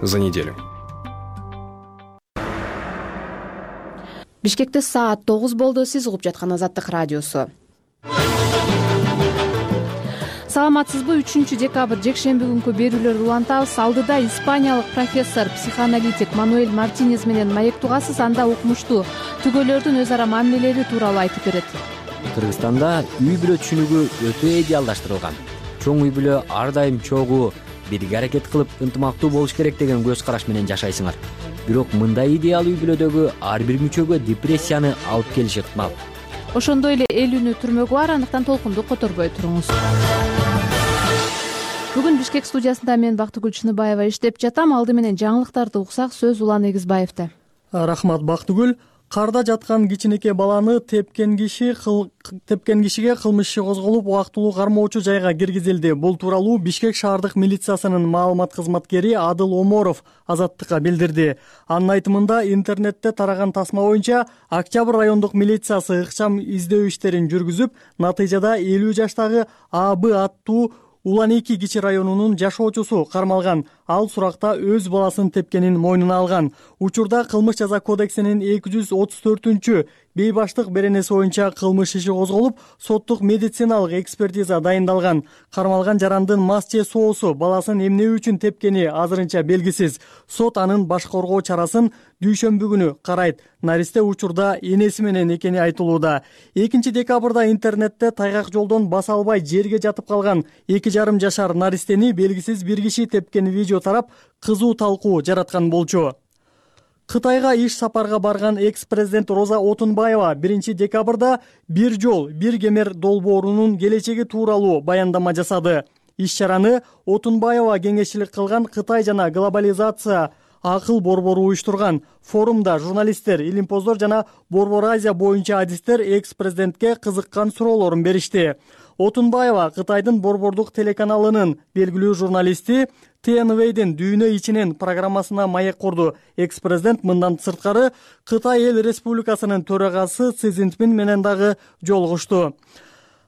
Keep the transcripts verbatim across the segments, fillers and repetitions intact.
за неделю. Бишкекте саат тогуз болду. Сиз угуп жаткан Азаттык радиосу. Саламатсызбы? үчүнчү декабрь жекшемби күнкү берүүлөрдү улантабыз. Алдыда испаниялык профессор, психоаналитик Мануэль Мартинес менен маектугасыз, анда укмуштуу түгөлөрдүн өз ара мамилелери тууралуу айтып берет. Кыргызстанда үй-бүлө түшүнүгү өтө идеалдаштырылган. Чоң үй-бүлө ар дайым чогуу, бирге аракет кылып ынтымактуу болуш керек деген көз караш менен жашайсыңар. Бирок мындай идеал үй-бүлөдөгү ар бир мүчөгө депрессияны алып келиши ыктымал. Ошондой эле эл үнү түрмөгү бар, андыктан толкунду которбой туруңуз. Бүгүн Бишкек студиясында мен Бактыгүл Чыныбаева иштеп жатам. Алды менен жаңылыктарды уксак, сөз Улан Эгизбаевде. Рахмат Бактыгүл. Карда жаткан кичинекей баланы тепкен киши тепкен кишиге кылмыш иши козголуп, убактылуу кармоочу жайга киргизилди. Бул тууралуу Бишкек шаардык милициясынын маалымат кызматкери Адыл Оморов Азаттыкка билдирди. Анын айтымында, интернетте тараган тасма боюнча Октябрь райондук милициясы ыкчам издөө иштерин жүргүзүп, натыйжада элүү жаштагы А Б аттуу Улан эки кичи районунун жашоочусу кармалган. Ал суракта өз баласын тепкенин мойнуна алган. Учурда кылмыш жаза кодексинин эки жүз отуз төртүнчү бейбаштык беренеси боюнча кылмыш иши козголуп, соттук медициналык экспертиза дайындалган. Кармалган жарандын мас же соосу, баласын эмне үчүн тепкени азырынча белгисиз. Сот анын баш коргоо чарасын дүйшөмбү күнү карайт. Наристе учурда энеси менен экени айтылууда. экинчи декабрда интернетте тайгак жолдон баса албай жерге жатып калган эки жарым жашар наристени белгисиз бир киши тепкен видео тарап, кызуу талкуу жараткан болчу. Кытайга иш сапарга барган экс-президент Роза Отунбаева биринчи декабрда бир жол, бир кемер долбоорунун келечеги тууралуу баяндама жасады. Иш-чараны Отунбаева кеңешчилик кылган Кытай жана глобализация акыл борбору уюштурган. Форумда журналисттер, илимпоздор жана Борбор Азия боюнча адистер экс-президентке кызыккан суроолорун беришти. Отунбаева Кытайдын борбордук телеканалынын белгилүү журналисти Т Н Вдин Дүйнө ичинен программасына маек курду. Экс-президент мындан сырткары Кытай эл республикасынын төрагасы Си Цзиньпин менен дагы жолугушту.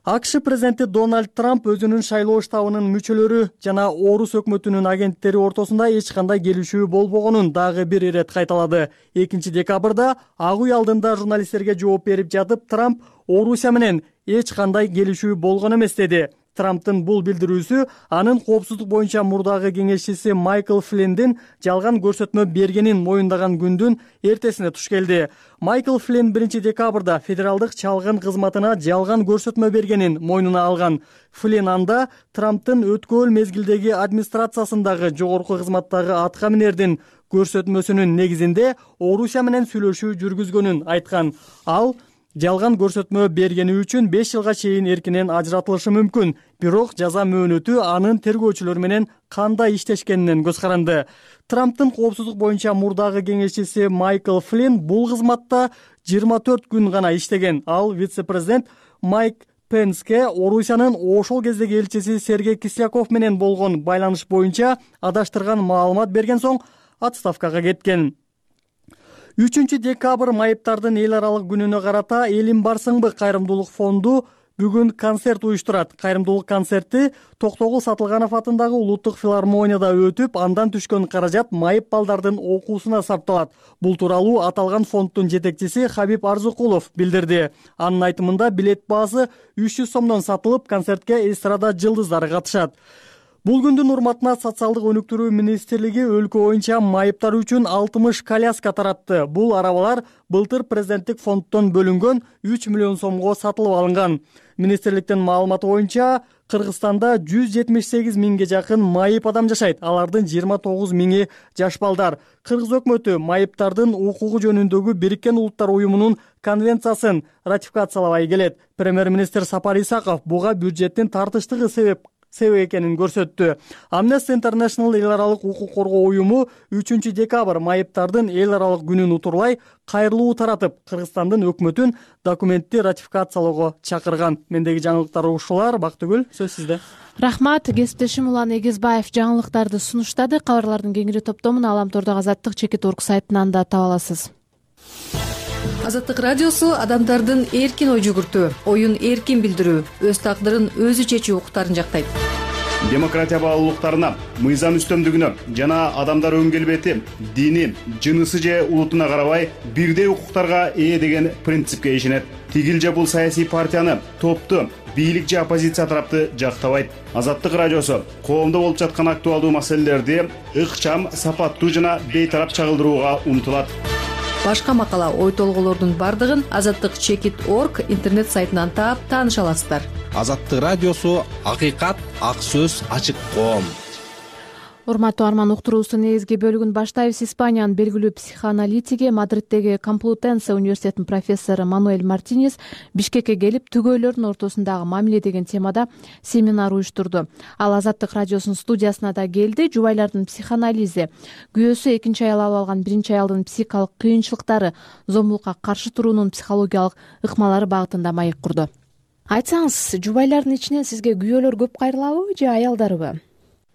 А К Ш президенти Дональд Трамп өзүнүн шайлоо штабынын мүчөлөрү жана орус өкмөтүнүн агенттери ортосунда эч кандай келишүү болбогонун дагы бир ирет кайталады. экинчи декабрда Ак үй алдында журналисттерге жооп берип жатып, Трамп Орусия менен эч кандай келишүү болгон эмес деди. Трамптын бул билдирүүсү анын коопсуздук боюнча мурдагы кеңешчиси Майкл Флиндин жалган көрсөтмө бергенин моюндаган күндүн эртесине туш келди. Майкл Флинн биринчи декабрда федералдык чалгын кызматына жалган көрсөтмө бергенин мойнуна алган. Флинн анда Трамптын өткөн мезгилдеги администрациясындагы жогорку кызматтагы аткаминердин көрсөтмөсүнүн негизинде Орусия менен сүйлөшүү жүргүзгөнүн айткан. Ал жалган көрсөтмө бергени үчүн беш жылга чейин эркинен ажыратылышы мүмкүн. Бирок жаза мөөнөтү анын тергөөчүлөр менен кандай иштешкенинен көз каранды. Трамптын коопсуздук боюнча мурдагы кеңешчиси Майкл Флинн бул кызматта жыйырма төрт күн гана иштеген. Ал вице-президент Майк Пенске Орусиянын ошол кездеги элчиси Сергей Кисляков менен болгон байланыш боюнча адаштырган маалымат берген соң отставкага кеткен. үчүнчү декабрь майыптардын эл аралык күнүнө карата Элим барсыңбы кайрымдуулук фонду бүгүн концерт уюштурат. Кайрымдуулук концерти Токтогул Сатылганов атындагы улуттук филармонияда өтүп, андан түшкөн каражат майып балдардын окуусуна сарпталат. Бул тууралуу аталган фонддун жетекчиси Хабиб Арзыкулов билдирди. Анын айтымында билет баасы үч жүз сомдон сатылып, концертке эстрада жылдыздары катышат. Бул күндүн урматына социалдык өнүктүрүү министрлиги өлкө боюнча майыптар үчүн алтымыш коляска таратты. Бул арабалар былтыр президенттик фонддон бөлүнгөн үч миллион сомго сатылып алынган. Министрликтин маалыматы боюнча Кыргызстанда жүз жетимиш сегиз миңге жакын майып адам жашайт. Алардын жыйырма тогуз миңи жаш балдар. Кыргыз өкмөтү майыптардын укугу жөнүндөгү Бириккен Улуттар уюмунун конвенциясын ратификациялабай келет. Премьер-министр Сапар Исаков буга бюджеттин тартыштыгы себеп себеп экенин көрсөттү. Amnesty International эл аралык укук коргоо уюму үчүнчү декабрь майыптардын эл аралык күнүн утурлай кайрылуу таратып, Кыргызстандын өкмөтүн документти ратификациялоого чакырган. Мендеги жаңылыктар ушулар. Бактыгүл, сөз сизде. Рахмат. Кесиптешим Улан Эгизбаев жаңылыктарды сунуштады. Кабарлардын кеңири топтомун Аламтордогу Азаттык чекит орг сайтынан да таба аласыз. Азаттык радиосу адамдардын эркин ой жүгүртүү, оюн эркин билдирүү, өз тагдырын өзү чечүү укуктарын жактайт. демократия баалуулуктарына, мыйзам үстөмдүгүнө жана адамдар өң келбети, дини, жынысы же улутуна карабай бирдей укуктарга ээ деген принципке ишенет. Тигил же бул саясий партияны, топту, бийлик же оппозиция тарапты жактабайт. Азаттык радиосу коомдо болуп жаткан актуалдуу маселелерди ыкчам, сапаттуу жана бейтарап чагылдырууга умтулат. Башка макала, ой толгоолордун бардыгын азаттык чекит точка орг интернет сайтынан таап тааныша аласыздар. Азаттык радиосу акыйкат, ак сөз, ачык коом. Урматтуу арман, уктуруубуздун негизги бөлүгүн баштайбыз. Испаниянын белгилүү психоаналитиги, Мадриттеги Комплутенсе университетинин профессору Мануэль Мартинес Бишкекке келип, түгөйлөрдүн ортосундагы мамиле деген темада семинар уюштурду. Ал Азаттык радиосунун студиясына да келди. Жубайлардын психоанализи, күйөөсү экинчи аял алып алган биринчи аялдын психикалык кыйынчылыктары, зомбулукка каршы туруунун психологиялык ыкмалары багытында маек курду. Айтсаңыз, жубайлардын ичинен сизге күйөөлөр көп кайрылабы же аялдарбы?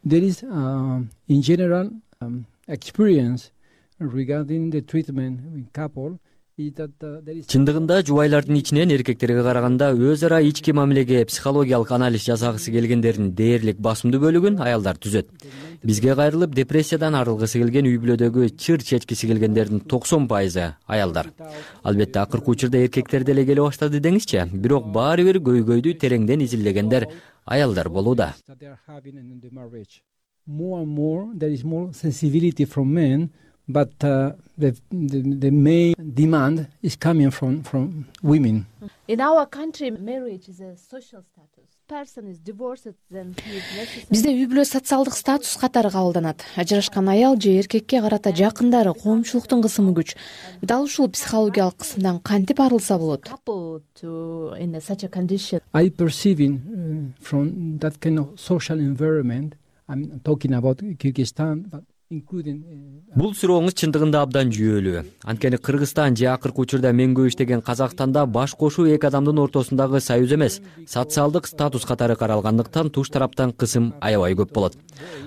There is, uh, in general, um, experience regarding the treatment in couple is that uh, there is. Чындыгында жубайлардын ичинен эркектерге караганда өз ара ички мамилеге психологиялык анализ жасагысы келгендердин дээрлик басымдуу бөлүгүн аялдар түзөт. Бизге кайрылып депрессиядан арылгысы келген, үй бүлөдөгү чыр чечкиси келгендердин токсон пайызы аялдар. Албетте акыркы учурда эркектер деле келе баштады деңизчи, бирок баары бир көйгөйдү тереңден изилдегендер аялдар болууда. More and more there is more sensibility from men, but uh, the, the the main demand is coming from from women. In our country, marriage is a social status. Person is divorced, then he is necessary. Бизде үй бүлө социалдык статус катары кабылданат. Ажырашкан аял же эркекке карата жакындары, коомчулуктун кысымы күч. Дал ушул психологиялык кысымдан кантип арылса болот? In such a condition. I perceiving uh, from that kind of social environment. I'm talking about Kyrgyzstan, but including. Бул сурооңуз чындыгында абдан жүйөлүү. Анткени Кыргызстан же акыркы учурда мен көп иштеген Казакстанда баш кошуу эки адамдын ортосундагы союз эмес, социалдык статус катары каралгандыктан туш тараптан кысым аябай көп болот.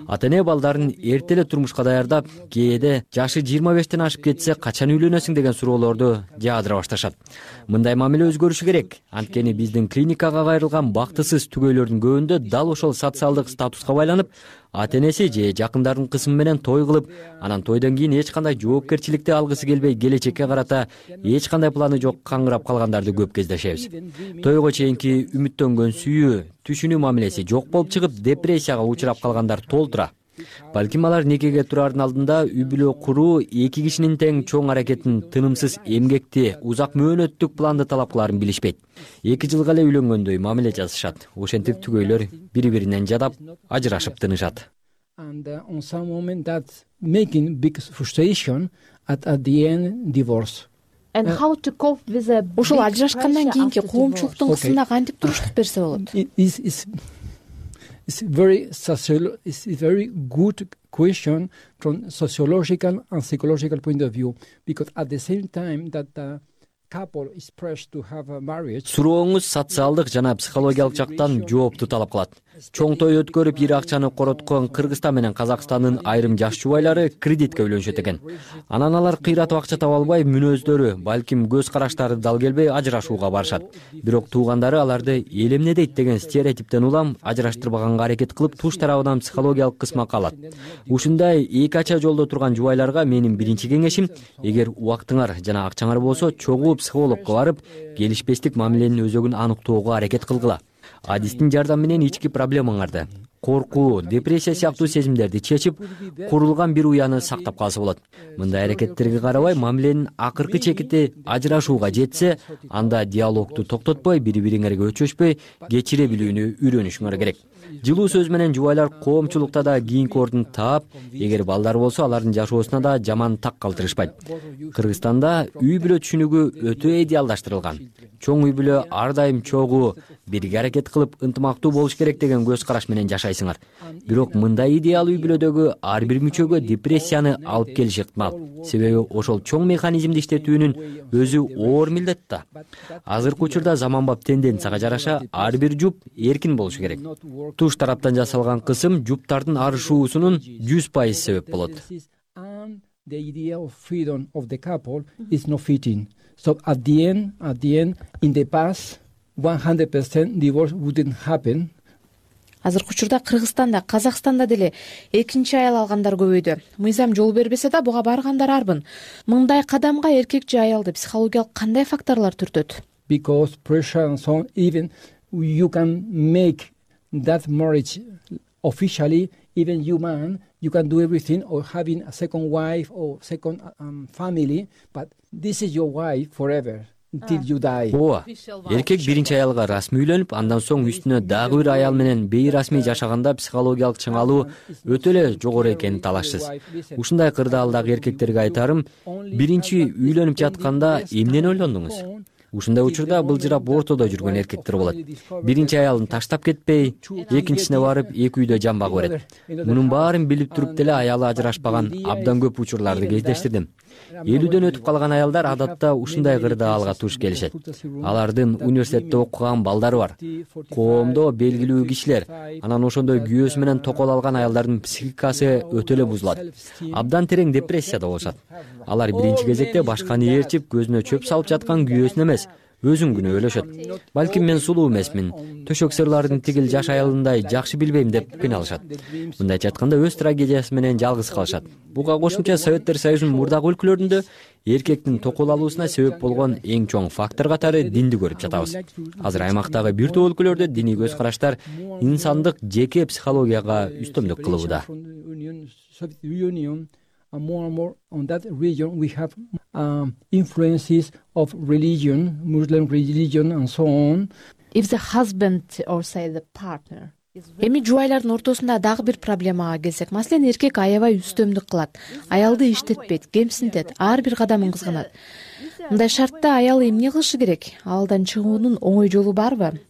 Ата-эне балдарын эрте эле турмушка даярдап, кээде жашы жыйырма бештен ашып кетсе качан үйлөнөсүң деген суроолорду жаадыра башташат. Мындай мамиле өзгөрүшү керек. Анткени биздин клиникага кайрылган бактысыз түгөйлөрдүн көбүндө дал ошол социалдык статуска байланып, ата-энеси же жакындардын кысымы менен той кылып, анан тойдон кийин эч кандай жоопкерчиликти алгысы келбей, келечекке карата эч кандай планы жок каңгырап калгандарды көп кездешебиз. Тойго чейинки үмүттөнгөн сүйүү, түшүнүү мамилеси жок болуп чыгып, депрессияга учурап калгандар толтура. Балким алар некеге турардын алдында үй бүлө куруу эки кишинин тең чоң аракетин, тынымсыз эмгекти, узак мөөнөттүк планды талап кыларын билишпейт. Эки жылга эле үйлөнгөндөй мамиле жасашат. Ошентип түгөйлөр бири-биринен жадап, ажырашып тынышат. And uh, on some moment that's making big frustration at at the end divorce. And how to cope with a ошол ажырашкандан кийинки коомчулуктун кысымына кантип туруштук берсе болот? Is is It's very social. It's a very good question from sociological and psychological point of view, because at the same time that the couple is pressed to have a marriage. Сурооңуз социалдык жана психологиялык жактан жоопту талап кылат. Чоң той өткөрүп, ири акчаны короткон Кыргызстан менен Казакстандын айрым жаш жубайлары кредитке үйлөнүшөт экен. Анан алар кыйратып акча таба албай, мүнөздөрү, балким көз караштары дал келбей ажырашууга барышат. Бирок туугандары аларды эл эмне дейт деген стереотиптен улам ажыраштырбаганга аракет кылып, туш тарабынан психологиялык кысмакка алат. Ушундай эки ача жолдо турган жубайларга менин биринчи кеңешим, эгер убактыңар жана акчаңар болсо, чогуу психологко барып, келишпестик мамиленин өзөгүн аныктоого аракет кылгыла. Адистин жардамы менен ички проблемаңарды, коркуу, депрессия сыяктуу сезимдерди чечип, курулган бир уяны сактап калса болот. Мындай аракеттерге карабай, мамиленин акыркы чекити ажырашууга жетсе, анда диалогду токтотпой, бири-бириңерге өчөшпөй, кечире билүүнү үйрөнүшүңөр керек. Жылуу сөз менен жубайлар коомчулукта да кийинки ордун таап, эгер балдар болсо, алардын жашоосуна да жаман так калтырышпайт. Кыргызстанда үй бүлө түшүнүгү өтө идеалдаштырылган. Чоң үй бүлө ар дайым чогуу, бирге аракет кылып, ынтымактуу болуш керек деген көз караш менен жашайсыңар. Бирок мындай идеал үй бүлөдөгү ар бир мүчөгө депрессияны алып келиши ыктымал. Себеби ошол чоң механизмди иштетүүнүн өзү оор милдет да. Азыркы учурда заманбап тенденцияга жараша ар бир жуп эркин болушу керек. Туш тараптан жасалган кысым жуптардын арышуусунун жүз пайыз себеп болот. The idea of freedom of the couple is not fitting. So at the end, at the end, in the past, one hundred percent divorce wouldn't happen. Азыркы учурда Кыргызстанда, Казакстанда деле экинчи аял алгандар көбөйдү. Мыйзам жол бербесе да буга баргандар арбын. Мындай кадамга эркек же аялды психологиялык кандай факторлор түртөт? Because pressure and so on, even you can make that marriage officially, even you man, you can do everything, or having a second wife or second um, family, but this is your wife forever. Ооба, эркек биринчи аялга расмий үйлөнүп, андан соң үстүнө дагы бир аял менен бейрасмий жашаганда психологиялык чыңалуу өтө эле жогору экенин талашсыз. Ушундай кырдаалдагы эркектерге айтарым, биринчи үйлөнүп жатканда эмнени ойлондуңуз? Ушундай учурда былжырап ортодо жүргөн эркектер болот. Биринчи аялын таштап кетпей, экинчисине барып, эки үйдө жамбак берет. Мунун баарын билип туруп деле аялы ажырашпаган абдан көп учурларды кездештирдим. элүүдөн өтүп калган аялдар адатта ушундай кырдаалга туш келишет. Алардын университетте окуган балдары бар. Коомдо белгилүү кишилер, анан ошондой күйөөсү менен токол алган аялдардын психикасы өтө эле бузулат. Абдан терең депрессияда болушат. Алар биринчи кезекте башканы ээрчип, көзүнө чөп салып жаткан күйөөсүн эмес, өзүн күнөөлөшөт. Балким мен сулуу эмесмин, төшөк сырлардын тигил жаш аялындай жакшы билбейм деп кыйналышат. Мындайча айтканда өз трагедиясы менен жалгыз калышат. Буга кошумча Советтер Союзунун мурдагы өлкөлөрүндө эркектин токол алуусуна себеп болгон эң чоң фактор катары динди көрүп жатабыз. Азыр аймактагы бир топ өлкөлөрдө диний көз караштар инсандык жеке психологияга үстөмдүк кылууда. And more and more on that region we have um, influences of religion, Muslim religion and so on. If the husband or say the partner. Эми жубайлардын ортосунда дагы бир проблемага келсек, маселен эркек аябай үстөмдүк кылат, аялды иштетпейт, кемсинтет, ар бир кадамын кызганат. Мындай шартта аял эмне кылышы керек? Алдан чыгуунун оңой жолу барбы?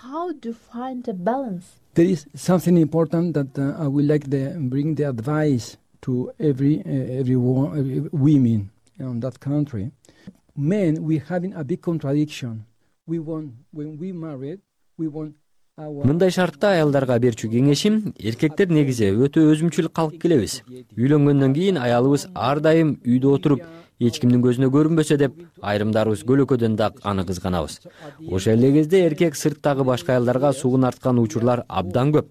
How to find a balance? There is something important that uh, I would like to bring the advice to every uh, everyone, every women in that country. Men, we having a big contradiction. We want when we married, we want our. Мындай шартта аялдарга берчү кеңешим, эркектер негизи өтө өзүмчүл калып келебиз. Үйлөнгөндөн кийин аялыбыз ар дайым үйдө отуруп, эч кимдин көзүнө көрүнбөсө деп, айрымдарыбыз көлөкөдөн да аны кызганабыз. Ошол эле кезде эркек сырттагы башка аялдарга сугун арткан учурлар абдан көп.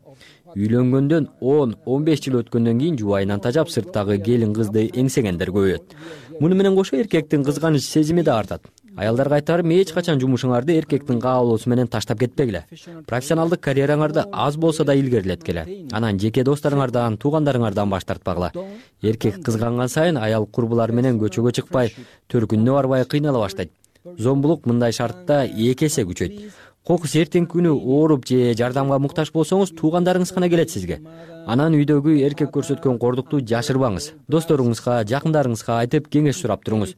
Үйлөнгөндөн он он беш жыл өткөндөн кийин жубайынан тажап сырттагы келин кызды эңсегендер көбөйөт. Муну менен кошо эркектин кызганыч сезими да артат. Аялдарга айтарым, эч качан жумушуңарды эркектин каалоосу менен таштап кетпегиле. Профессионалдык карьераңарды аз болсо да илгерилеткиле. Анан жеке досторуңардан, туугандарыңардан баш тартпагыла. Эркек кызганган сайын аял курбулары менен көчөгө чыкпай, төркүнүнө барбай кыйнала баштайт. Зомбулук мындай шартта эки эсе күчөйт. Кокус эртең күнү ооруп же жардамга муктаж болсоңуз, туугандарыңыз гана келет сизге. Анан үйдөгү эркек көрсөткөн кордукту жашырбаңыз. Досторуңузга, жакындарыңызга айтып кеңеш сурап туруңуз.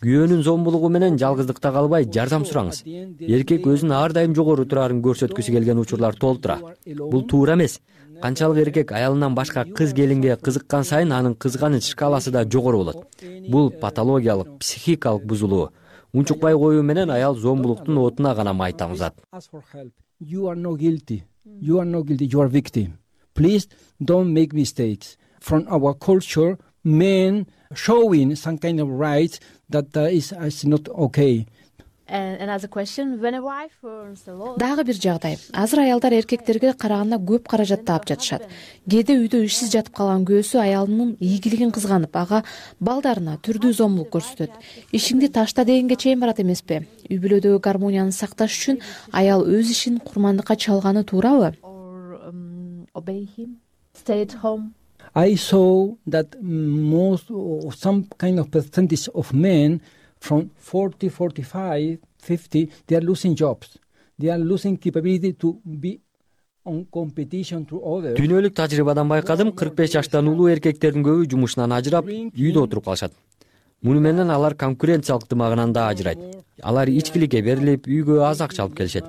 Күйөөнүн зомбулугу менен жалгыздыкта калбай жардам сураңыз. Эркек өзүн ар дайым жогору турарын көрсөткүсү келген учурлар толтура. Бул туура эмес. Канчалык эркек аялынан башка кыз келинге кызыккан сайын анын кызганыч шкаласы да жогору болот. Бул патологиялык, психикалык бузулуу. Унчукпай коюу менен аял зомбулуктун отуна гана май тамызат. You are not guilty. You are not guilty. You are victim. Please don't make mistakes. From our culture, men showing some kind of rights that uh, is, is not okay. And as a question, when a wife earns a lot. Дагы бир жагдай. Азыр аялдар эркектерге караганда көп каражат таап жатышат. Кээде үйдө ишсиз жатып калган күйөөсү аялынын ийгилигин кызганып, ага балдарына түрдүү зомбулук көрсөтөт. Ишиңди ташта дегенге чейин барат эмеспи? Үй бүлөдөгү гармонияны сакташ үчүн аял өз ишин курмандыкка чалганы туурабы? Obey him, stay at home. I saw that most or some kind of percentage of men from forty, forty-five, fifty, they are losing jobs. They are losing capability to be on competition to others. Дүйнөлүк тажрыйбадан байкадым, кырк беш жаштан улуу эркектердин көбү жумушунан ажырап, үйдө отуруп калышат. Муну менен алар конкуренциялык дымагынан да ажырайт. Алар ичкиликке берилип, үйгө аз акча алып келишет.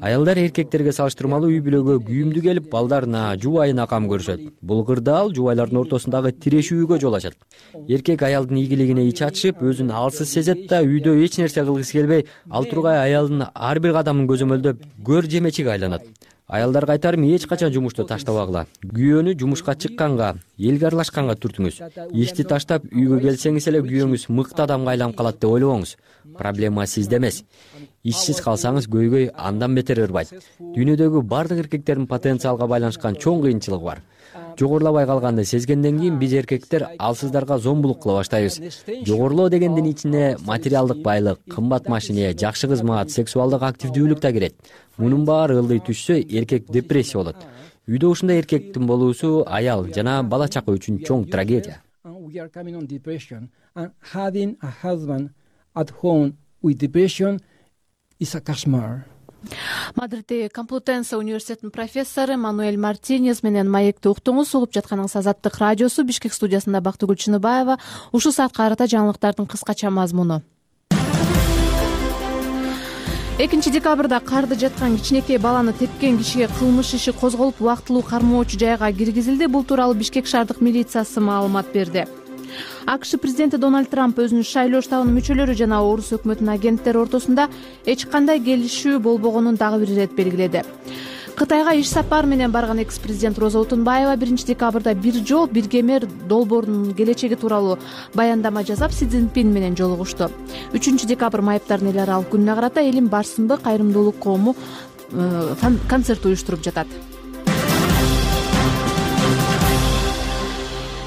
Аялдар эркектерге салыштырмалуу үй бүлөгө күйүмдүү келип, балдарына, жубайына кам көрүшөт. Бул кырдаал жубайлардын ортосундагы тирешүүгө жол ачат. Эркек аялдын ийгилигине ич ачышып, өзүн алсыз сезет да, үйдө эч нерсе кылгысы келбей, ал тургай аялдын ар бир кадамын көзөмөлдөп, көр жемечиге айланат. Аялдар кайтарым эч качан жумушту таштабагыла. Күйөөнү жумушка чыкканга, элге аралашканга түртүңүз. Ишти таштап үйгө келсеңиз эле күйөөңүз мыкты адамга айланып калат деп ойлобоңуз. Проблема сизде эмес. Ишсиз калсаңыз көйгөй андан бетер ырбайт. Дүйнөдөгү бардык эркектердин потенциалга байланышкан чоң кыйынчылыгы бар. Жогорулабай калганды сезгенден кийин биз эркектер алсыздарга зомбулук кыла баштайбыз. Жогорулоо дегендин ичине материалдык байлык, кымбат машине, жакшы кызмат, сексуалдык активдүүлүк да кирет. Мунун баары ылдый түшсө, эркек депрессия болот. Үйдө ушундай эркектин болуусу аял жана бала чака үчүн чоң трагедия. Мадридтеги Комплутенсе университетинин профессору Мануэль Мартинез менен маекти уктуңуз. Угуп жатканыңыз Азаттык радиосу. Бишкек студиясында Бактыгүл Чыныбаева. Ушул саатка карата жаңылыктардын кыскача мазмуну. экинчи декабрда карды жаткан кичинекей баланы тепкен кишиге кылмыш иши козголуп, убактылуу кармоочу жайга киргизилди. Бул тууралуу Бишкек шаардык милициясы маалымат берди. АКШ президенти Дональд Трамп өзүнүн шайлоо штабынын мүчөлөрү жана орус өкмөтүнүн агенттери ортосунда эч кандай келишүү болбогонун дагы бир ирет белгиледи. Кытайга иш сапары менен барган экс-президент Роза Отунбаева биринчи декабрда бир жол бир кемер долбоорунун келечеги тууралуу баяндама жасап, Си Цзиньпин менен жолугушту. үчүнчү декабрь майыптардын эл аралык күнүнө карата элим барсынбы кайрымдуулук коому концерт уюштуруп жатат.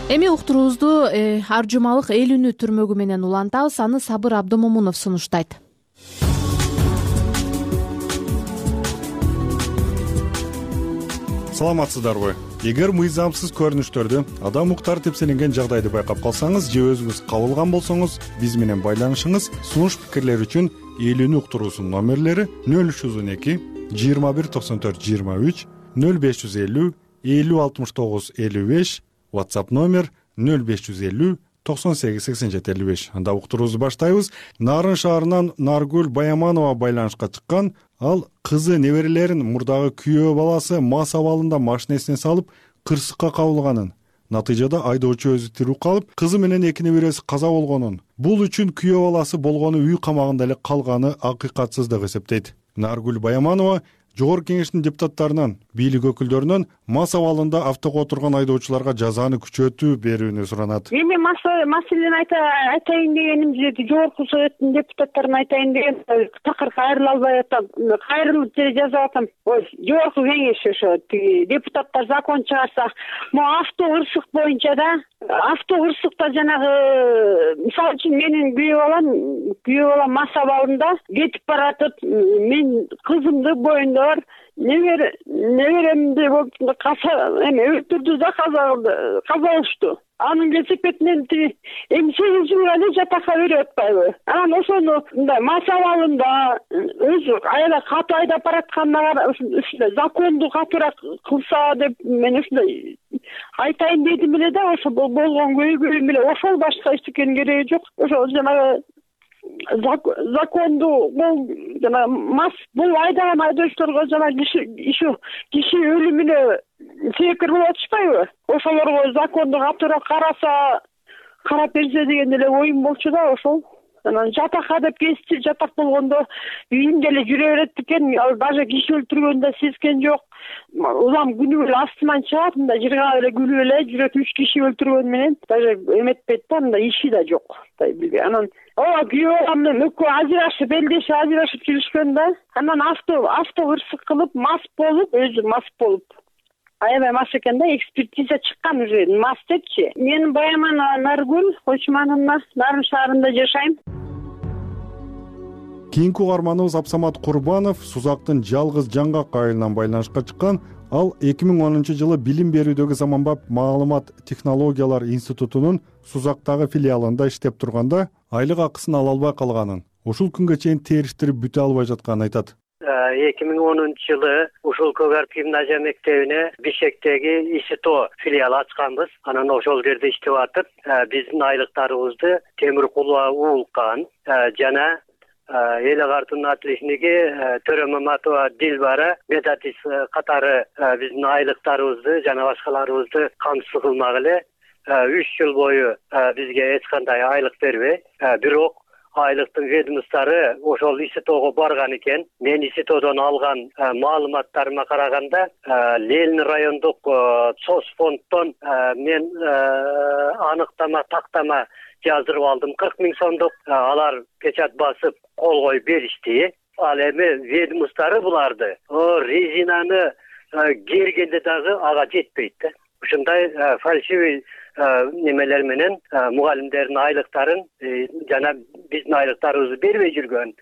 Эми уктуруубузду ар жумалык эл үнү түрмөгү менен улантабыз. Аны Сабыр Абдымомунов сунуштайт. Саламатсыздарбы? Эгер мыйзамсыз көрүнүштөрдү, адам укуктары тепселенген жагдайды байкап калсаңыз же өзүңүз кабылган болсоңуз, биз менен байланышыңыз. Сунуш пикирлер үчүн эл үнү уктуруусунун номерлери нөл үч жүз он эки жыйырма бир токсон төрт жыйырма үч, нөл беш жүз элүү элүү алтымыш тогуз элүү беш, WhatsApp номер нөл беш жүз элүү токсон сегиз сексен жети элүү беш. Анда уктуруубузду баштайбыз. Нарын шаарынан Наргүл Баяманова байланышка чыккан. Ал кызы неберелерин мурдагы күйөө баласы мас абалында машинесине салып кырсыкка кабылганын, натыйжада айдоочу өзү тирүү калып, кызы менен эки небереси каза болгонун, бул үчүн күйөө баласы болгону үй камагында эле калганы акыйкатсыз деп эсептейт. Наргүл Баяманова Жогорку кеңештин депутаттарынан, бийлик өкүлдөрүнөн мас абалында автого отурган айдоочуларга жазаны күчөтүү берүүнү суранат. Эми маселени айтайын дегеним жерде Жогорку советтин депутаттарына айтайын деген такыр кайрыла албай атам. Кайрылып деле жазып атам. Ой, Жогорку кеңеш ошо депутаттар закон чыгарса, могу авто ырсык боюнча да, авто ырсыкта жанагы мисалы үчүн менин күйөө балам, күйөө балам мас абалында кетип баратып, мен кызымды боюнда Небер неберемди болуп каза эме өлтүрдү да каза кылды, каза кылышту. Анын велосипединен эми сегиз жылга эле жатакка берип атпайбы? Анан ошону мындай мас абалында өзү аябай катуу айдап баратканда ушундай законду катуураак кылса деп мен ушундай айтайын дедим эле да, ошо болгон көйгөйүм эле ошол, башка эчтекенин кереги жок. Ошол жанагы законду бул жана мас бул айдаган айдоочуларга жана киши ишу киши өлүмүнө себепкер болуп атышпайбы? Ошолорго законду катуураак караса, карап берсе деген эле оюм болчу да ошол. Анан жатакка деп кести, жатак болгондо үйүндө эле жүрө берет экен, ал даже киши өлтүргөнү да сезген жок. Улам күнү эле астынан чыгат, мындай жыргап эле күлүп эле жүрөт, үч киши өлтүргөн менен даже эметпейт да, мындай иши да жок. Анан ооба күйөө балам экөө ажырашып, элдеши ажырашып жүрүшкөн да. Анан авто авто ырсык кылып, мас болуп, өзү мас болуп. Аябай мас экен да, экспертиза чыккан уже мас депчи. Мен Баяманова Наргүл, Кочманова, Нарын шаарында жашайм. Кийинки угарманыбыз Абсамат Курбанов Сузактын жалгыз жаңгак айылынан байланышка чыккан. Ал эки миң онунчу жылы билим берүүдөгү заманбап маалымат технологиялар институтунун Сузактагы филиалында иштеп турганда айлык акысын ала албай калганын, ушул күнгө чейин териштирип бүтө албай жатканын айтат. эки миң онунчу жылы ушул Көгарт гимназия мектебине Бишкектеги ИСТО филиалы ачканбыз. Анан ошол жерде иштеп атып, биздин айлыктарыбызды Темир Кулова Уулкан жана эл агартуунун отличниги Төрө Маматова Дилбара Медатис катары биздин айлыктарыбызды жана башкаларыбызды камсыз кылмак эле үч жыл бою бизге эч кандай айлык бербей, бирок айлыктын ведомстволору ошол ИСТОго барган экен. Мен ИСТОдон алган маалыматтарыма караганда, Ленин райондук соцфонддон мен аныктама, тактама жаздырып алдым. кырк миң сомдук. Алар печат басып кол коюп беришти. Ал эми ведомстволору буларды резинаны кергенде дагы ага жетпейт да. Ушундай фальшивый немелер менен мугалимдердин айлыктарын жана биздин айлыктарыбызды бербей жүргөн.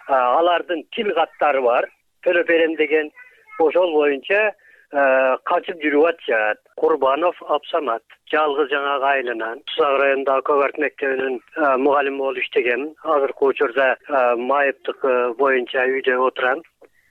Алардын тил каттары бар. Төлөп берем деген ошол боюнча качып жүрүп атышат. Курбанов Абсамат, жалгыз жаңа айылынан Сузак районундагы Көгарт мектебинин мугалими болуп иштегем. Азыркы учурда майыптык боюнча үйдө отурам.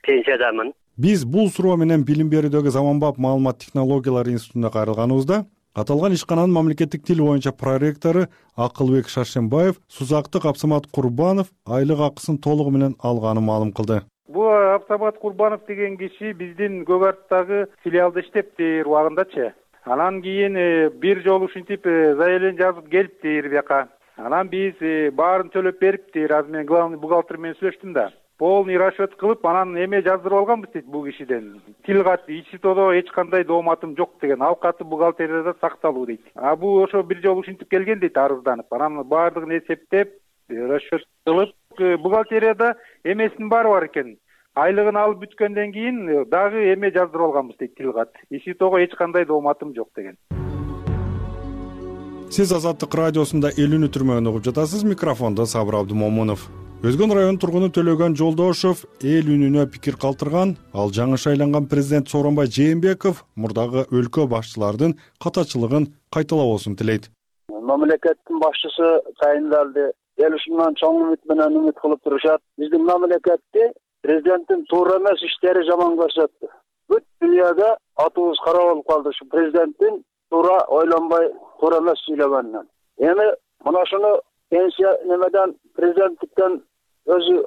Пенсиядамын. Биз бул суроо менен билим берүүдөгү Заманбап маалымат технологиялары институтуна кайрылганыбызда аталган ишкананын мамлекеттик тил боюнча проректору Акылбек Шаршембаев Сузактык Абсамат Курбанов айлык акысын толугу менен алганын маалым кылды. Бул Абсамат Курбанов деген киши биздин Көгарттагы филиалда иштептир убагындачы. Анан кийин бир жолу ушинтип заявление жазып келиптир бияка. Анан биз баарын төлөп бериптир. Азыр мен главный бухгалтер менен сүйлөштүм да. Полный расчет кылып, анан эме жаздырып алганбыз дейт бул кишиден. Тил кат ИСТОдо эч кандай дооматым жок деген, ал каты бухгалтерияда сакталуу дейт. А бул ошо бир жолу ушинтип келген дейт арызданып. Анан баардыгын эсептеп, расчет кылып, бухгалтерияда эмесинин баары бар экен. Айлыгын алып бүткөндөн кийин дагы эме жаздырып алганбыз дейт тил кат. ИСТОго эч кандай дооматым жок деген. Сиз Азаттык радиосунда Элүүнү түрмөгүн угуп жатасыз. Микрофондо Сабыр Абдымомунов. Өзгөн район тургуну Төлөгөн Жолдошов эл үнүнө пикир калтырган. Ал жаңы шайланган президент Сооронбай Жээнбеков мурдагы өлкө башчылардын катачылыгын кайталабоосун тилейт. Мамлекеттин башчысы тайындалды. Эл ушундан чоң үмүт менен үмүт кылып турушат. Биздин мамлекетти президенттин туура эмес иштери жаман көрсөттү. Бүт дүйнөгө атыбыз кара болуп калды ушу президенттин туура ойлонбой, туура эмес сүйлөгөнүнөн. Эми мына ушуну пенсия немеден президенттиктен өзү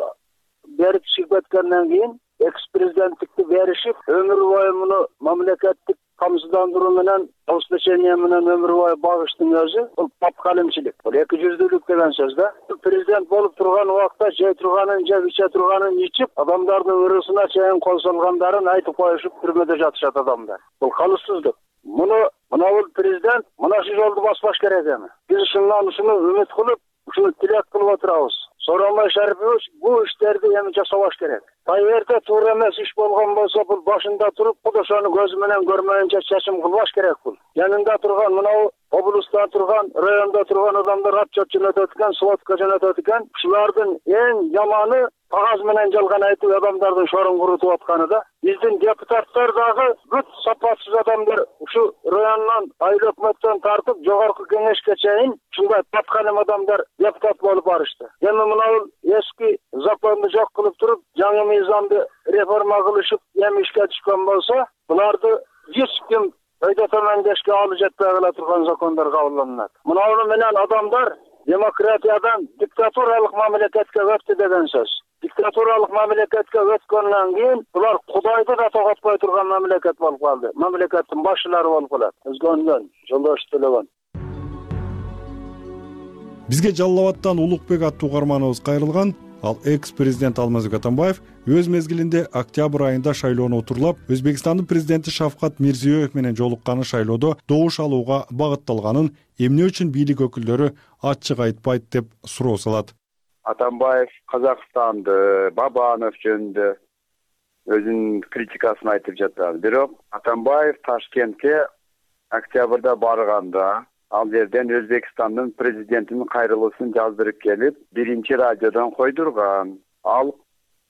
берип чыгып кеткенден кийин экс президенттикти беришип, өмүр бою муну мамлекеттик камсыздандыруу менен, обеспечение менен өмүр бою багыштын өзү бул папкалимчилик. Бул эки жүздүүлүк деген сөз да. Президент болуп турган убакта жей турганын, жеп иче турганын ичип, адамдардын ырысына чейин кол салгандарын айтып коюшуп түрмөдө жатышат адамдар. Бул калыссыздык. Муну мына бул президент мына ушул жолду баспаш керек эми. Биз ушундан ушуну үмүт кылып, ушуну тилек кылып отурабыз. Сооронбай Шарипович бул иштерди эми жасабаш керек. Кайерде туура эмес иш болгон болсо, бул башында туруп, ошону көзү менен көрмөйүнчө чечим кылбаш керек бул. Янында турган мына облуста турган, районда турган адамдар отчет жөнөтөт экен, сводка жөнөтөт экен. Ушулардын эң жаманы кагаз менен жалган айтып адамдардын шорун курутуп атканы да. Биздин депутаттар дагы бүт сапатсыз адамдар ушу райондон, айыл өкмөттөн тартып жогорку кеңешке чейин ушундай паткалым адамдар депутат болуп барышты. Эми мына эски законду жок кылып туруп, жаңы мыйзамды реформа кылышып, эми ишке түшкөн болсо, буларды эч ким өйдө төмөндешке алып жетпей кала турган закондор кабылданат. Муну менен адамдар демократиядан диктатуралык мамлекетке өттү деген сөз. Диктатуралык мамлекетке өткөндөн кийин булар Кудайды да тоготпой турган мамлекет болуп калды. Мамлекеттин башчылары болуп калат. Өзгөндөн Жолдош Төлөгөн. Бизге Жалал Абадтан Улукбек аттуу угарманыбыз кайрылган. Ал экс-президент Алмазбек Атамбаев өз мезгилинде октябрь айында шайлоону утурлап, Өзбекстандын президенти Шавкат Мирзиёев менен жолукканы шайлоодо добуш алууга багытталганын эмне үчүн бийлик өкүлдөрү ачык айтпайт деп суроо салат. Атамбаев Казакстанды, Бабанов жөнүндө өзүнүн критикасын айтып жатат. Бирок Атамбаев Ташкентке октябрда барганда ал жерден Өзбекстандын президентинин кайрылуусун жаздырып келип, биринчи радиодон койдурган. Ал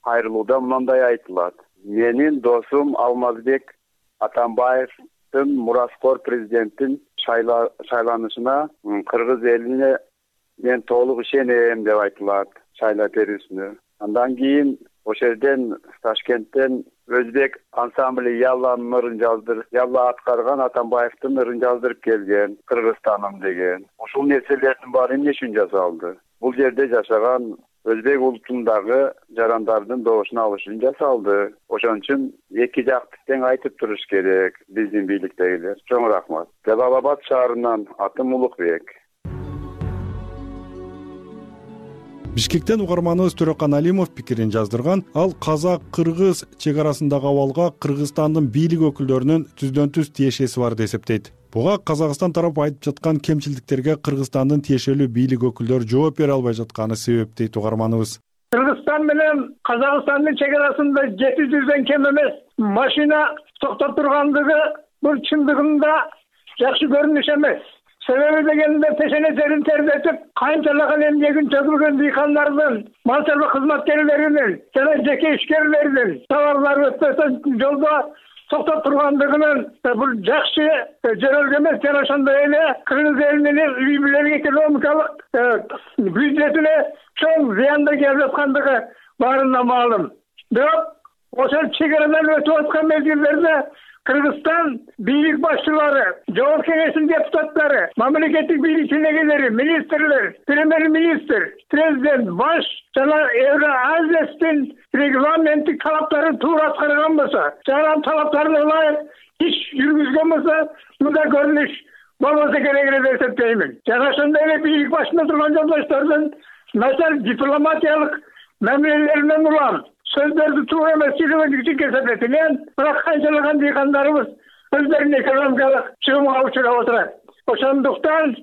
кайрылууда мындай айтылат: менин досум Алмазбек Атамбаевдин мураскор президенттин шайланышына кыргыз элине мен толук ишенем деп айтылат шайлоо берүүсүнө. Андан кийин ошол жерден Ташкенттен Өзбек ансамбли Ялланын ырын жаздыр, Ялла аткарган Атамбаевдин ырын жаздырып келген, Кыргызстаным деген. Ушул нерселердин баары эмне үчүн жасалды? Бул жерде жашаган Өзбек улутундагы жарандардын добушун алыш үчүн жасалды. Ошон үчүн эки жакты тең айтып туруш керек биздин бийликтегилер. Чоң рахмат. Жалал Абад шаарынан атым Улукбек. Бишкектен угарманыбыз Төрөкан Алимов пикирин жаздырган. Ал казак-кыргыз чек арасындагы абалга Кыргызстандын бийлик өкүлдөрүнүн түздөн түз тиешеси бар деп эсептейт. Буга Казакстан тарапы айтып жаткан кемчилдиктерге Кыргызстандын тиешелүү бийлик өкүлдөрү жооп бере албай жатканы себеп дейт угарманыбыз. Кыргызстан менен Казакстандын чек арасында жети жүздөн кем эмес машина токтоп тургандыгы бул чындыгында жакшы көрүнүш эмес. Себеби дегенде пешенесерин тердетип, канчалаган эмгегин төгүлгөн дыйкандардын, мал чарба кызматкерлеринин жана жеке ишкерлердин товарлары өтпөсөн жолдо токтоп тургандыгынын бул жакшы жөнөлгө эмес. Жана ошондой эле Кыргыз элинин үй бүлөлүк экономикалык бюджетине чоң зыяндар келип жаткандыгы баарына маалым. Бирок ошол чек арадан өтүп аткан мезгилдерде Кыргызстан бийлик башчылары, жогорку кеңештин депутаттары, мамлекеттик бийлик ченегелери, министрлер, премьер-министр, президент, баш жана Евразиядин регламенттик талаптарын туура аткарган болсо, жана талаптарына ылайык иш жүргүзгөн болсо, мындай көрүнүш болбосо керек эле деп эсептеймин. Жана ошондой эле бийлик башында турган жолдоштордун начар дипломатиялык мамилелеринен улам сөздөрдү туура эмес жүргүзүп көрсөтөтүн. Бирок канчалаган дыйкандарыбыз өздөрүнүн экономикалык чыгымга учурап отурат. Ошондуктан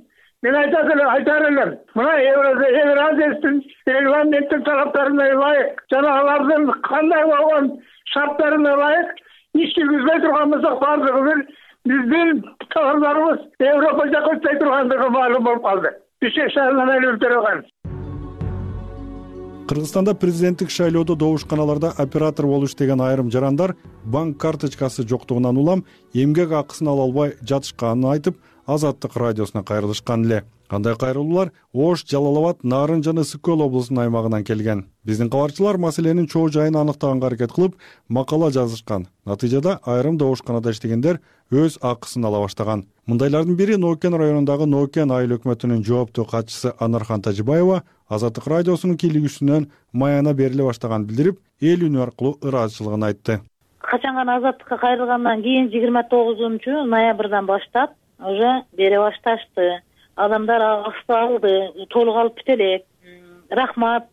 мен айтат эле айтар элем, мына Евразиядин регламенттик талаптарына ылайык жана алардын кандай болгон шарттарына ылайык иш жүргүзбөй турган болсок, баардыгыбыз биздин товарларыбыз Европа жака өтпөй тургандыгы маалым болуп калды. Бишкек шаарынан Алимов Төрөкан. Кыргызстанда президенттик шайлоодо добушканаларда оператор болуп иштеген айрым жарандар банк карточкасы жоктугунан улам эмгек акысын ала албай жатышканын айтып, Азаттык радиосуна кайрылышкан эле. Кандай кайрылуулар Ош, Жалал Абад, Нарын жана Ысык Көл облусунун аймагынан келген. Биздин кабарчылар маселенин чоо жайын аныктаганга аракет кылып, макала жазышкан. Натыйжада айрым добушканада иштегендер өз акысын ала баштаган. Мындайлардын бири Нокен районундагы Нокен айыл өкмөтүнүн жооптуу катчысы Анархан Тажибаева Азаттык радиосунун кийлигүүсүнөн маяна бериле баштаганын билдирип, эл үнү аркылуу ыраазычылыгын айтты. Качан гана Азаттыкка кайрылгандан кийин жыйырма тогузунчу ноябрдан баштап уже бере башташты. Адамдар акысты алды, толук алып бите элек. Рахмат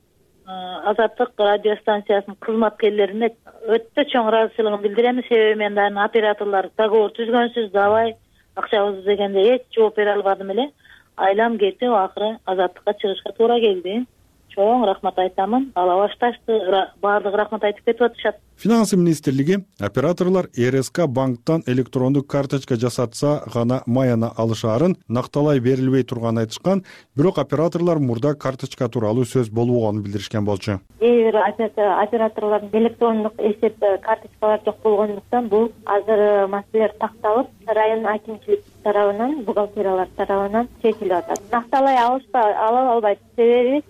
Азаттык радио станциясынын кызматкерлерине өтө чоң ыраазычылыгын билдирем. Себеби мен дагы операторлор договор түзгөнсүз давай акчабызды дегенде эч жооп бере албадым эле. Айлам кетип, акыры Азаттыкка чыгышка туура келди. Чоң рахмат айтамын. Ала башташты, баардыгы рахмат айтып кетип атышат. Финансы министрлиги операторлор эр эс ка банктан электрондук карточка жасатса гана маяна алышаарын накталай берилбей турганын айтышкан, бирок операторлор мурда карточка тууралуу сөз болбогонун билдиришкен болчу. Кээ бир операторлордун электрондук эсеп карточкалары жок болгондуктан бул азыр маселелер такталып, район акимчилик тарабынан, бухгалтериялар тарабынан чечилип атат. Накталай алышпай, ала албайт. Себеби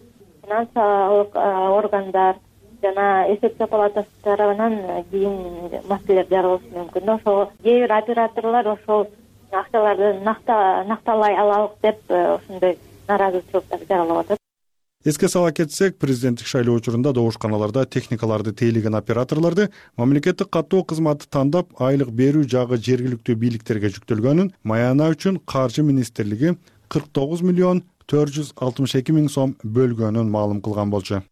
финансылык органдар жана эсептөө палатасы тарабынан кийин маселелер жаралышы мүмкүн. Ошол кээ бир операторлор ошол акчаларды накталай алалык деп ошондой нааразычылыктар жаралып атат. Эске сала кетсек, президенттик шайлоо учурунда добушканаларда техникаларды тейлеген операторлорду мамлекеттик каттоо кызматы тандап, айлык берүү жагы жергиликтүү бийликтерге жүктөлгөнүн маяна үчүн Каржы министрлиги кырк тогуз миллион төрт жүз алтымыш эки миң сом бөлгөнүн маалым кылган болчу.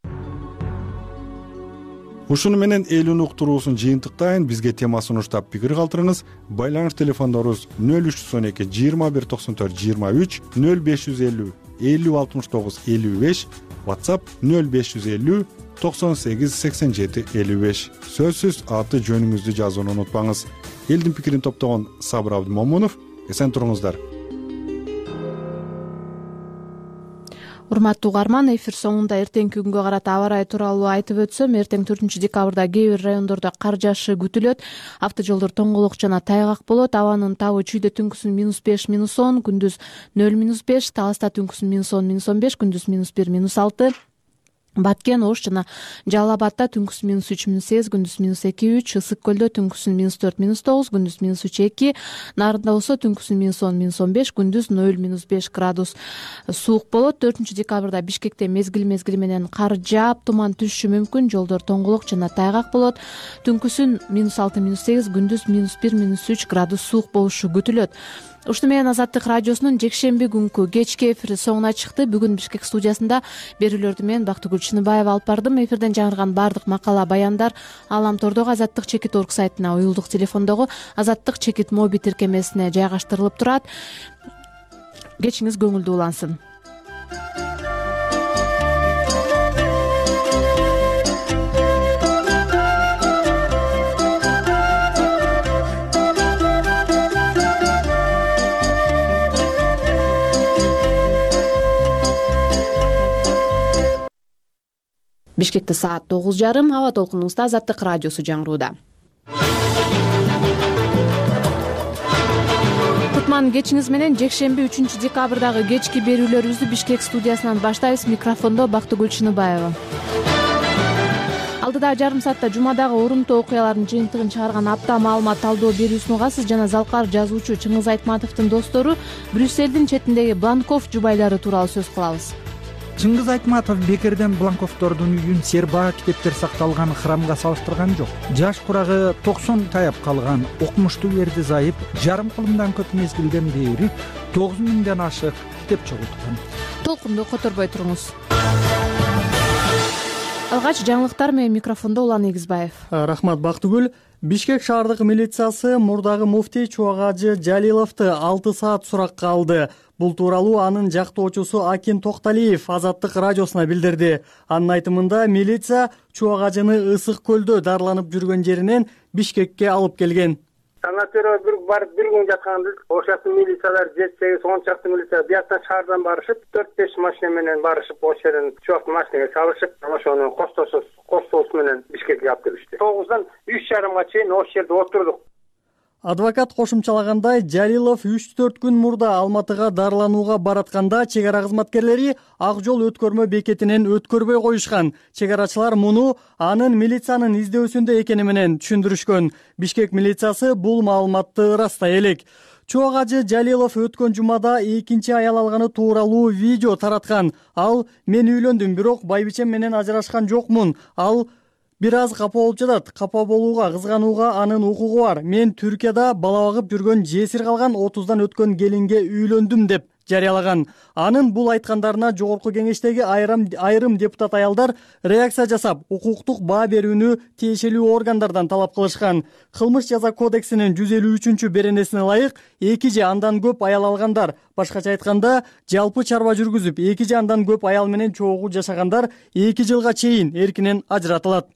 Ушуну менен эл үнү уктуруусун жыйынтыктайын. Бизге тема сунуштап пикир калтырыңыз. Байланыш телефондорубуз нөл үч жүз он эки жыйырма бир токсон төрт жыйырма үч, нөл беш жүз элүү элүү алтымыш тогуз элүү беш, WhatsApp нөл беш жүз элүү токсон сегиз сексен жети элүү беш. Сөзсүз аты жөнүңүздү жазууну унутпаңыз. Элдин пикирин топтогон Сабыр Абдымомунов. Эсен туруңуздар. Урматтуу угарман, эфир соңунда эртеңки күнгө карата аба ырайы тууралуу айтып өтсөм, эртең төртүнчү декабрда кээ бир райондордо кар жаашы күтүлөт. Автожолдор тоңголок жана тайгак болот. Абанын табы чүйдө түнкүсүн минус беш, минус он, күндүз нөл, минус беш, Таласта түнкүсүн минус он, минус он беш, күндүз минус бир, минус алты. Баткен, Ош жана Жалал Абадта түнкүсүн минус үч, минус сегиз, күндүз минус эки, үч, Ысык Көлдө түнкүсүн минус төрт, минус тогуз, күндүз минус үч, эки, Нарында болсо түнкүсүн минус он, минус он беш, күндүз нөл, минус беш градус суук болот. төртүнчү декабрда Бишкекте мезгил мезгили менен кар жаап, туман түшүшү мүмкүн, жолдор тоңголок жана тайгак болот. Түнкүсүн минус алты, минус сегиз, күндүз минус бир, минус үч градус суук болушу күтүлөт. Ушуну менен Азаттык радиосунун жекшемби күнкү кечки эфири соңуна чыкты. Бүгүн Бишкек студиясында берүүлөрдү мен Бактыгүл Чыныбаева алып бардым. Эфирден жаңырган баардык макала, баяндар Алам тордогу Азаттык чекит орг сайтына, уюлдук телефондогу Азаттык чекит моби тиркемесине жайгаштырылып турат. Кечиңиз көңүлдүү улансын. Бишкекте саат тогуз жарым, аба толкунубузда Азаттык радиосу жаңырууда. Кутман кечиңиз менен жекшемби үчүнчү декабрдагы кечки берүүлөрүбүздү Бишкек студиясынан баштайбыз. Микрофондо Бактыгүл Чыныбаева. Алдыдагы жарым саатта жумадагы орунтуу окуялардын жыйынтыгын чыгарган апта маалымат талдоо берүүсүн угасыз жана залкар жазуучу Чыңгыз Айтматовдун достору Брюссельдин четиндеги Бланков жубайлары тууралуу сөз кылабыз. Чыңгыз Айтматов бекерден Бланковдордун үйүн сербаа китептер сакталган храмга салыштырган жок. Жаш курагы токсон таяп калган окумуштуу Эрди Зайып жарым кылымдан көп мезгилден бери тогуз миңден ашык китеп чогулткан. Толкунду которбой туруңуз. Алгач жаңылыктар менен микрофондо Улан Эгизбаев. Рахмат Бактыгүл. Бишкек шаардык милициясы мурдагы муфтий Чубагажы Жалиловду алты саат суракка алды. Бул тууралуу анын жактоочусу Акин Токталиев Азаттык радиосуна билдирди. Анын айтымында милиция Чубагажыны Ысык көлдө дарыланып жүргөн жеринен Бишкекке алып келген. Санатория бир барып бир күн жатканда ошол милициялар жетсеги он чакты милиция бияктан шаардан барышып, төрт беш машина менен барышып, ошол жерден чубактын машинеге салышып, ошону коштосуз коштоосу менен Бишкекке алып келишти. тогуздан үч жарымга чейин ошол жерде отурдук. Адвокат кошумчалагандай, Жалилов үч төрт күн мурда Алматыга дарыланууга баратканда чек ара кызматкерлери ак жол өткөрмө бекетинен өткөрбөй коюшкан. Чек арачылар муну анын милициянын издөөсүндө экени менен түшүндүрүшкөн. Бишкек милициясы бул маалыматты ырастай элек. Чубагажы Жалилов өткөн жумада экинчи аял алганы тууралуу видео тараткан. Ал: "Мен үйлөндүм, бирок байбичем менен ажырашкан жокмун. Ал бир аз капа болуп жатат. Капа болууга, кызганууга анын укугу бар. Мен Түркияда бала багып жүргөн, жесир калган отуздан өткөн келинге үйлөндүм" деп жарыялаган. Анын бул айткандарына жогорку кеңештеги айрым айрым депутат аялдар реакция жасап, укуктук баа берүүнү тиешелүү органдардан талап кылышкан. Кылмыш жаза кодексинин жүз элүү үчүнчү беренесине ылайык эки же андан көп аял алгандар, башкача айтканда, жалпы чарба жүргүзүп, эки же андан көп аял менен чогуу жашагандар эки жылга чейин эркинен ажыратылат.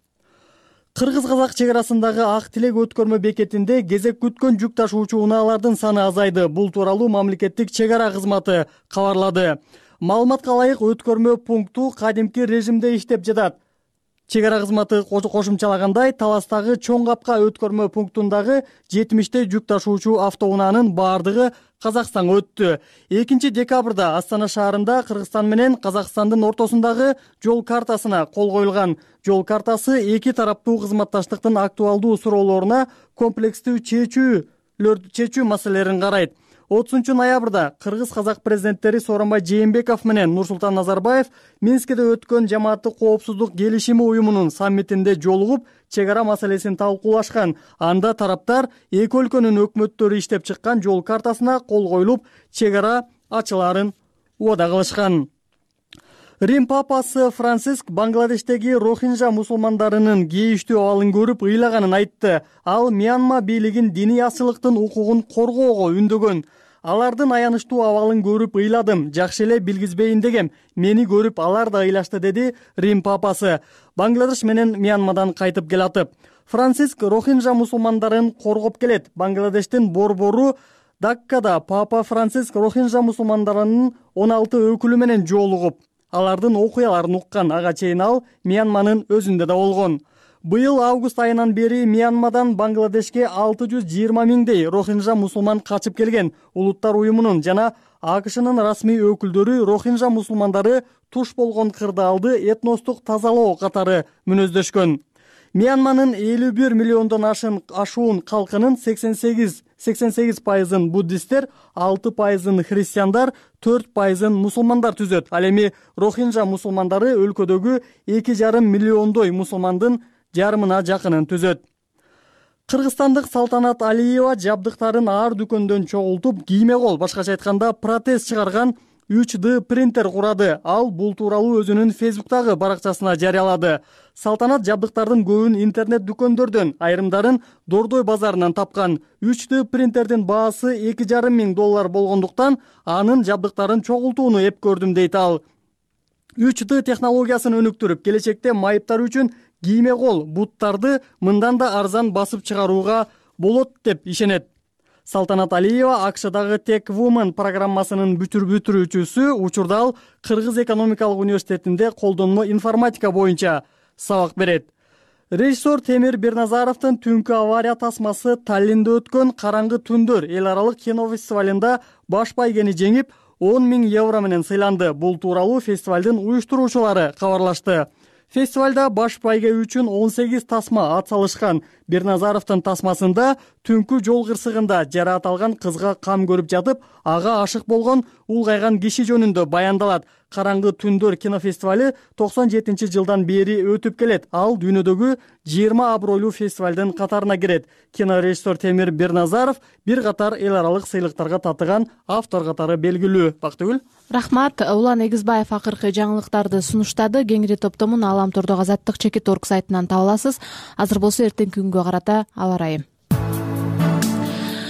Кыргыз-казак чек арасындагы Ак Тилек өткөрмө бекетинде кезек күткөн жүк ташуучу унаалардын саны азайды. Бул тууралуу мамлекеттик чек ара кызматы кабарлады. Маалыматка ылайык, өткөрмө пункту кадимки режимде иштеп жатат. Чек ара кызматы кошумчалагандай, Таластагы Чоң Капка өткөрмө пунктундагы жетимиштей жүк ташуучу автоунаанын баардыгы Казакстанга өттү. экинчи декабрда Астана шаарында Кыргызстан менен Казакстандын ортосундагы жол картасына кол коюлган. Жол картасы эки тараптуу кызматташтыктын актуалдуу суроолоруна комплекстүү чечүү чечүү маселелерин карайт. отузунчу ноябрда Кыргыз-казак президенттери Сооронбай Жээнбеков менен Нурсултан Назарбаев Минскиде өткөн жамааттык коопсуздук келишими уюмунун саммитинде жолугуп, чек ара маселесин талкуулашкан. Анда тараптар эки өлкөнүн өкмөттөрү иштеп чыккан жол картасына кол коюлуп, чек ара ачылаарын убада кылышкан. Рим папасы Франциск Бангладештеги Рохинжа мусулмандарынын кейиштүү абалын көрүп ыйлаганын айтты. Ал Мьянма бийлигин диний ачылыктын укугун коргоого үндөгөн. Алардын аянычтуу абалын көрүп ыйладым, жакшы эле билгизбейин дегем. Мени көрүп алар да ыйлашты, деди Рим папасы. Бангладеш менен Мьянмадан кайтып келатып. Франциск Рохинжа мусулмандарын коргоп келет. Бангладештин борбору Даккада папа Франциск Рохинжа мусулмандарынын он алты өкүлү менен жолугуп, алардын окуяларын уккан. Ага чейин ал Мьянманын өзүндө да болгон. Быйыл август айынан бери Мьянмадан Бангладешке алты жүз жыйырма миңдей Рохинжа мусулман качып келген. Улуттар уюмунун жана АКШнын расмий өкүлдөрү Рохинжа мусулмандары туш болгон кырдаалды этностук тазалоо катары мүнөздөшкөн. Мьянманын элүү бир миллиондон ашын ашуун калкынын сексен сегиз пайызын буддисттер, алты пайызын христиандар, төрт пайызын мусулмандар түзөт. Ал эми Рохинжа мусулмандары өлкөдөгү эки жарым миллиондой мусулмандын жарымына жакынын түзөт. Кыргызстандык Салтанат Алиева жабдыктарын ар дүкөндөн чогултуп, кийме кол, башкача айтканда протез чыгарган үч дэ принтер курады. Ал бул тууралуу өзүнүн Фейсбуктагы баракчасына жарыялады. Салтанат жабдыктардын көбүн интернет дүкөндөрдөн, айрымдарын Дордой базарынан тапкан. үч дэ принтердин баасы эки жарым миң доллар болгондуктан анын жабдыктарын чогултууну эп көрдүм, дейт ал. үч дэ технологиясын өнүктүрүп, келечекте майыптар үчүн кийме кол буттарды мындан да арзан басып чыгарууга болот деп ишенет. Салтанат Алиева АКШдагы Tech Woman программасынын бүтүрүүчүсү, учурда ал Кыргыз экономикалык университетинде колдонмо информатика боюнча сабак берет. Режиссер Темир Берназаровдун түнкү авария тасмасы Таллинде өткөн Караңгы түндөр эл аралык кино фестивалында баш байгени жеңип, он миң евро менен сыйланды. Бул тууралуу фестивалдын уюштуруучулары кабарлашты. Фестивалда баш байге үчүн он сегиз тасма ат салышкан. Берназаровдун тасмасында түнкү жол кырсыгында жараат алган кызга кам көрүп жатып, ага ашык болгон улгайган киши жөнүндө баяндалат. Караңгы түндөр кинофестивали токсон жетинчи жылдан бери өтүп келет. Ал дүйнөдөгү жыйырма абройлуу фестивалдын катарына кирет. Кинорежиссер Темир Берназаров бир катар эл аралык сыйлыктарга татыган автор катары белгилүү. Бактыгүл. Рахмат. Улан Эгизбаев акыркы жаңылыктарды сунуштады. Кеңири топтомун Алам Тордогу азаттык чекит орг сайтынан таба аласыз. Азыр болсо эртеңки күнгө карата аба ырайы.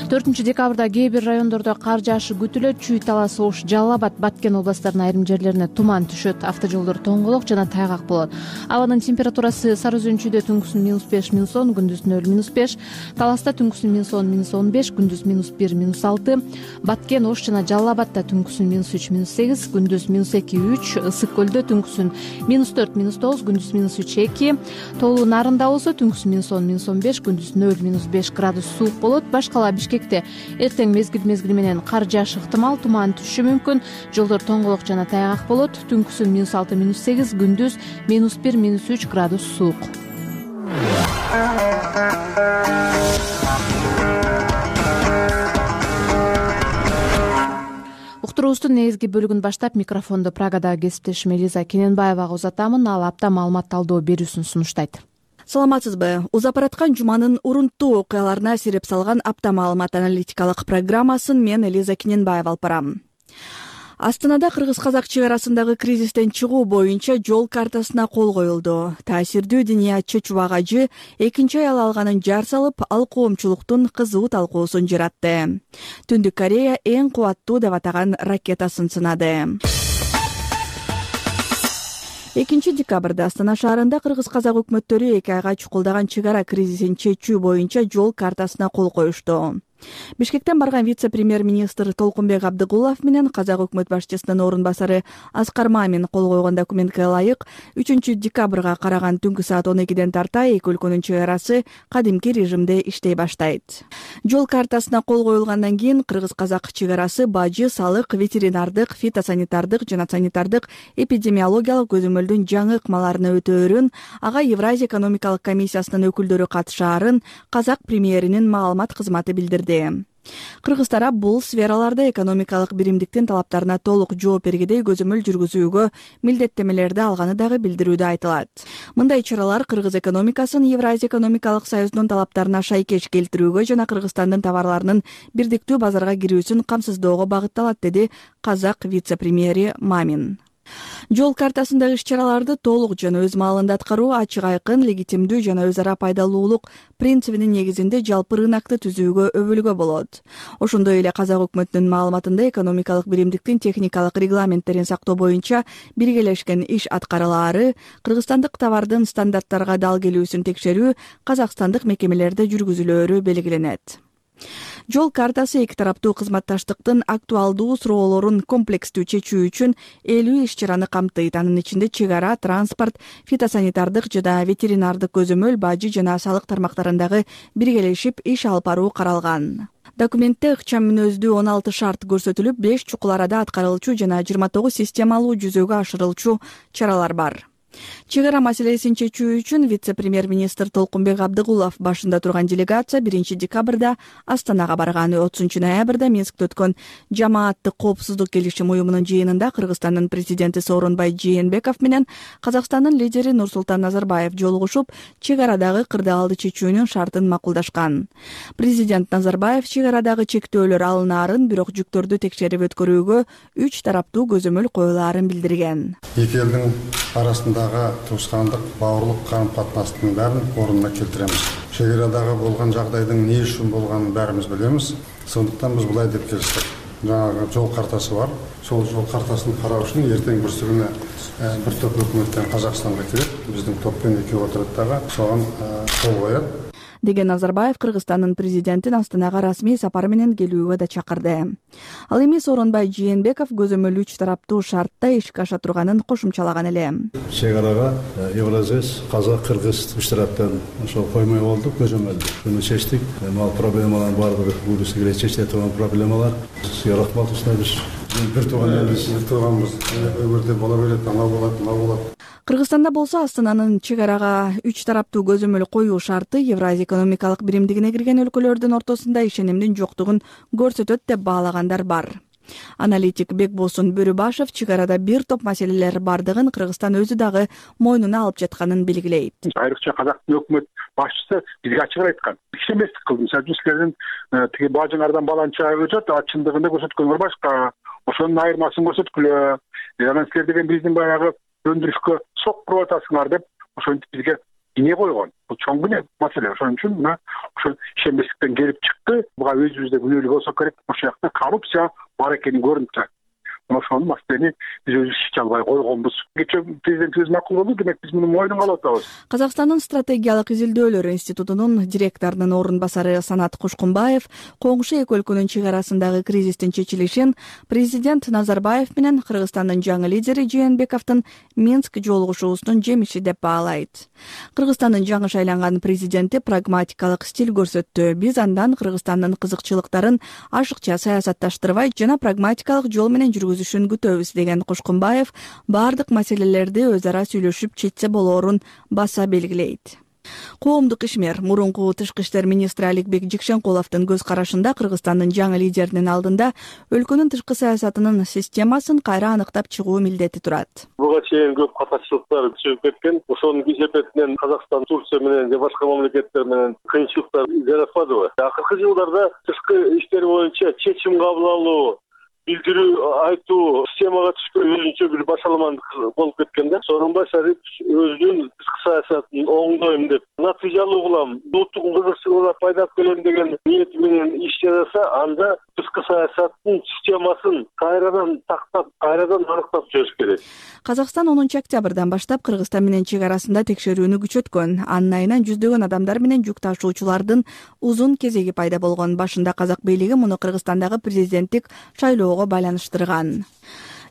төртүнчү декабрда кээ бир райондордо кар жаашы күтүлөт. Чүй, Талас, Ош, Жалал Абад, Баткен областарынын айрым жерлерине туман түшөт. Автожолдор тоңголок жана тайгак болот. Абанын температурасы Сары Өзөнчүдө түнкүсүн минус беш, минус он, күндүз нөл, минус беш. Таласта түнкүсүн минус он, минус он беш, күндүз минус бир, минус алты. Баткен, Ош жана Жалал Абадта түнкүсүн минус үч, минус сегиз, күндүз минус эки, үч. Ысык көлдө түнкүсүн минус төрт, минус тогуз, күндүз минус үч, эки. Тоолуу Нарында болсо түнкүсүн минус он, минус он беш, күндүз нөл, минус беш градус суук болот. Башкала Бишкекте эртең мезгил мезгили менен кар жаашы ыктымал, туман түшүшү мүмкүн. Жолдор тоңголок жана тайгак болот. Түнкүсүн минус алты, минус сегиз, күндүз минус бир, минус үч градус суук. Уктуруубуздун негизги бөлүгүн баштап микрофондо Прагадагы кесиптешим Элиза Кененбаевага узатамын. Ал апта маалымат талдоо берүүсүн сунуштайт. Саламатсызбы? Узап бараткан жуманын урунттуу окуяларына сереп салган апта маалымат аналитикалык программасын мен Элиза Кененбаева алып барам. Астанада кыргыз-казак чек арасындагы кризистен чыгуу боюнча жол картасына кол коюлду. Таасирдүү Диниятчы Чубак ажы экинчи аял алганын жар салып, ал коомчулуктун кызуу талкуусун жаратты. Түндүк Корея эң кубаттуу деп атаган ракетасын сынады. экинчи декабрда Астана шаарында кыргыз-казак өкмөттөрү эки айга чукулдаган чек ара кризисин чечүү боюнча жол картасына кол коюшту. Бишкектен барган вице-премьер-министр Толкунбек Абдыгулов менен казак өкмөт башчысынын орун басары Аскар Мамин кол койгон документке ылайык үчүнчү декабрга караган түнкү саат он экиден тарта эки өлкөнүн чек арасы кадимки режимде иштей баштайт. Жол картасына кол коюлгандан кийин кыргыз-казак чек арасы бажы, салык, ветеринардык, фитосанитардык жана санитардык эпидемиологиялык көзөмөлдүн жаңы ыкмаларына өтөөрүн, ага Евразия экономикалык комиссиясынын өкүлдөрү катышаарын казак премьеринин маалымат кызматы билдирди. Кыргыз тарап бул сфераларда экономикалык биримдиктин талаптарына толук жооп бергедей көзөмөл жүргүзүүгө милдеттемелерди алганы дагы билдирүүдө айтылат. Мындай чаралар кыргыз экономикасын Евразия экономикалык союзунун талаптарына шайкеш келтирүүгө жана Кыргызстандын товарларынын бирдиктүү базарга кирүүсүн камсыздоого багытталат, деди казак вице-премьери Мамин. Жол картасындагы иш-чараларды толук жана өз маалында аткаруу ачык айкын, легитимдүү жана өз ара пайдалуулук принцибинин негизинде жалпы рынокты түзүүгө өбөлгө болот. Ошондой эле казак өкмөтүнүн маалыматында экономикалык биримдиктин техникалык регламенттерин сактоо боюнча биргелешкен иш аткарылаары, кыргызстандык товардын стандарттарга дал келүүсүн текшерүү казакстандык мекемелерде жүргүзүлөөрү белгиленет. Жол картасы эки тараптуу кызматташтыктын актуалдуу суроолорун комплекстүү чечүү үчүн элүү иш-чараны камтыйт. Анын ичинде чек ара, транспорт, фитосанитардык жана ветеринардык көзөмөл, бажы жана салык тармактарындагы биргелешип иш алып баруу каралган. Документте ыкчам мүнөздүү он алты шарт көрсөтүлүп, беш чукул арада аткарылчу жана жыйырма тогуз системалуу жүзөгө ашырылчу чаралар бар. Чек ара маселесин чечүү үчүн вице-премьер-министр Толкунбек Абдыгулов башында турган делегация биринчи декабрда Астанага барган. отузунчу ноябрда Минскте өткөн жамааттык коопсуздук келишим уюмунун жыйынында Кыргызстандын президенти Сооронбай Жээнбеков менен Казакстандын лидери Нурсултан Назарбаев жолугушуп, чек арадагы кырдаалды чечүүнүн шартын макулдашкан. Президент Назарбаев чек арадагы чектөөлөр алынаарын, бирок жүктөрдү текшерип өткөрүүгө үч тараптуу көзөмөл коюлаарын билдирген. Эки элдин арасындагы туускандык, баарлык карым-катнаштын баарын ордуна келтиремиз. Чек арадагы болгон жагдайдын эмне үчүн болгонун баарыбыз билебиз. Сондуктан биз булай деп келиштик. Жаңағы жол картасы бар. Сол жол картасын кароо үчүн эртең бүрсүгүнө бир топ өкмөттөн Казакстанга келип, биздин топпен экөө отурат дагы соған кол коет деген Назарбаев Кыргызстандын президентин Астанага расмий сапар менен келүүгө да чакырды. Ал эми Сооронбай Жээнбеков көзөмөл үч тараптуу шартта ишке аша турганын кошумчалаган эле. Чек арага Евразес, Казак, Кыргыз үч тараптан ошол коймой болду, көзөмөлдү. Буну чечтик. Ал проблемалар бардыгы буюрса келе чечиле турган проблемалар. Сизге рахмат ушундай бир тууган элибиз, бир тууганбыз. Өмүрдө бола берет, ана болот, мына болот. Кыргызстанда болсо Астананын чек арага үч тараптуу көзөмөл коюу шарты Евразия экономикалык биримдигине кирген өлкөлөрдүн ортосунда ишенимдин жоктугун көрсөтөт деп баалагандар бар. Аналитик Бекбосун Бөрүбашев чек арада бир топ маселелер бардыгын Кыргызстан өзү дагы мойнуна алып жатканын белгилейт. Айрыкча Казактын өкмөт башчысы бизге ачык айткан. Ишеместик кылды. Мисалы үчүн силердин тиги бажыңардан баланча өтөт, а чындыгында көрсөткөндөр башка. Ошонун айырмасын көрсөткүлө. Анан силер деген биздин баягы өндүрүшкө сок куруп атасыңар деп ошентип бизге ине койгон. Бул чоң гана маселе. Ошон үчүн мына ошол ишенбестиктен келип чыкты. Буга өзүбүздө күнөөлүү болсок керек. Ошол жакта коррупция бар экени көрүнүп турат. Ошону маселени биз өзүбүз чече албай койгонбуз. Кечээ президентибиз макул болду, демек биз муну мойнуна алып атабыз. Казакстандын стратегиялык изилдөөлөр институтунун директорунун орун басары Санат Кушкунбаев коңшу эки өлкөнүн чек арасындагы кризистин чечилишин президент Назарбаев менен Кыргызстандын жаңы лидери Жээнбековдун Минск жолугушуусунун жемиши деп баалайт. Кыргызстандын жаңы шайланган президенти прагматикалык стиль көрсөттү. Биз андан Кыргызстандын кызыкчылыктарын ашыкча саясатташтырбай жана прагматикалык жол менен жүргүзүшүн күтөбүз деген Кушкунбаев бардык маселелерди өз ара сүйлөшүп чечсе болоорун баса белгилейт. Коомдук ишмер мурунку тышкы иштер министри Аликбек Жекшенкуловдун көз карашында Кыргызстандын жаңы лидеринин алдында өлкөнүн тышкы саясатынын системасын кайра аныктап чыгуу милдети турат. Буга чейин көп катачылыктар чыгып кеткен. Ошонун кесепетинен Казакстан, Турция менен же башка мамлекеттер менен кыйынчылыктар жаратканбы? Акыркы жылдарда тышкы иштер боюнча чечим кабыл алуу, билдирүү, айтуу системага түшкөн өзүнчө бир башаламандык болуп кеткен да. Сооронбай өзүнүн тышкы саясатын оңдойм деп, натыйжалуу кылам, улуттук кызыкчылыгына пайда келем деген ниети менен иш жасаса, анда тышкы саясаттын системасын кайрадан тактап, кайрадан аныктап чыгыш керек. Казакстан онунчу октябрдан баштап Кыргызстан менен чек арасында текшерүүнү күчөткөн. Анын айынан жүздөгөн адамдар менен жүк ташуучулардын узун кезеги пайда болгон. Башында казак бийлиги муну Кыргызстандагы президенттик шайлоого байланыштырган.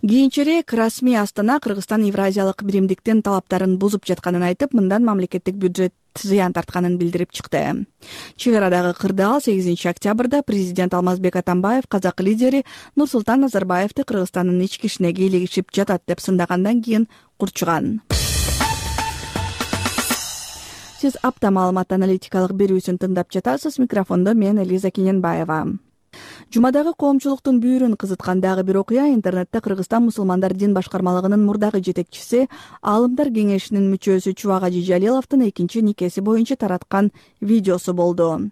Кийинчерээк расмий Астана Кыргызстан Евразиялык биримдиктин талаптарын бузуп жатканын айтып, мындан мамлекеттик бюджет зыян тартканын билдирип чыкты. Чек арадагы кырдаал сегизинчи октябрда президент Алмазбек Атамбаев казак лидери Нурсултан Назарбаевди Кыргызстандын ички ишине кийлигишип жатат деп сындагандан кийин курчуган. Сиз апта маалымат аналитикалык берүүсүн тыңдап жатасыз. Микрофондо мен Элиза Кененбаева. Жумадагы коомчулуктун бүйүрүн кызыткан дагы бир окуя интернетте Кыргызстан мусулмандар дин башкармалыгынын мурдагы жетекчиси, Аалымдар кеңешинин мүчөсү Чубак Ажи Жалиловдун экинчи никеси боюнча тараткан видеосу болду.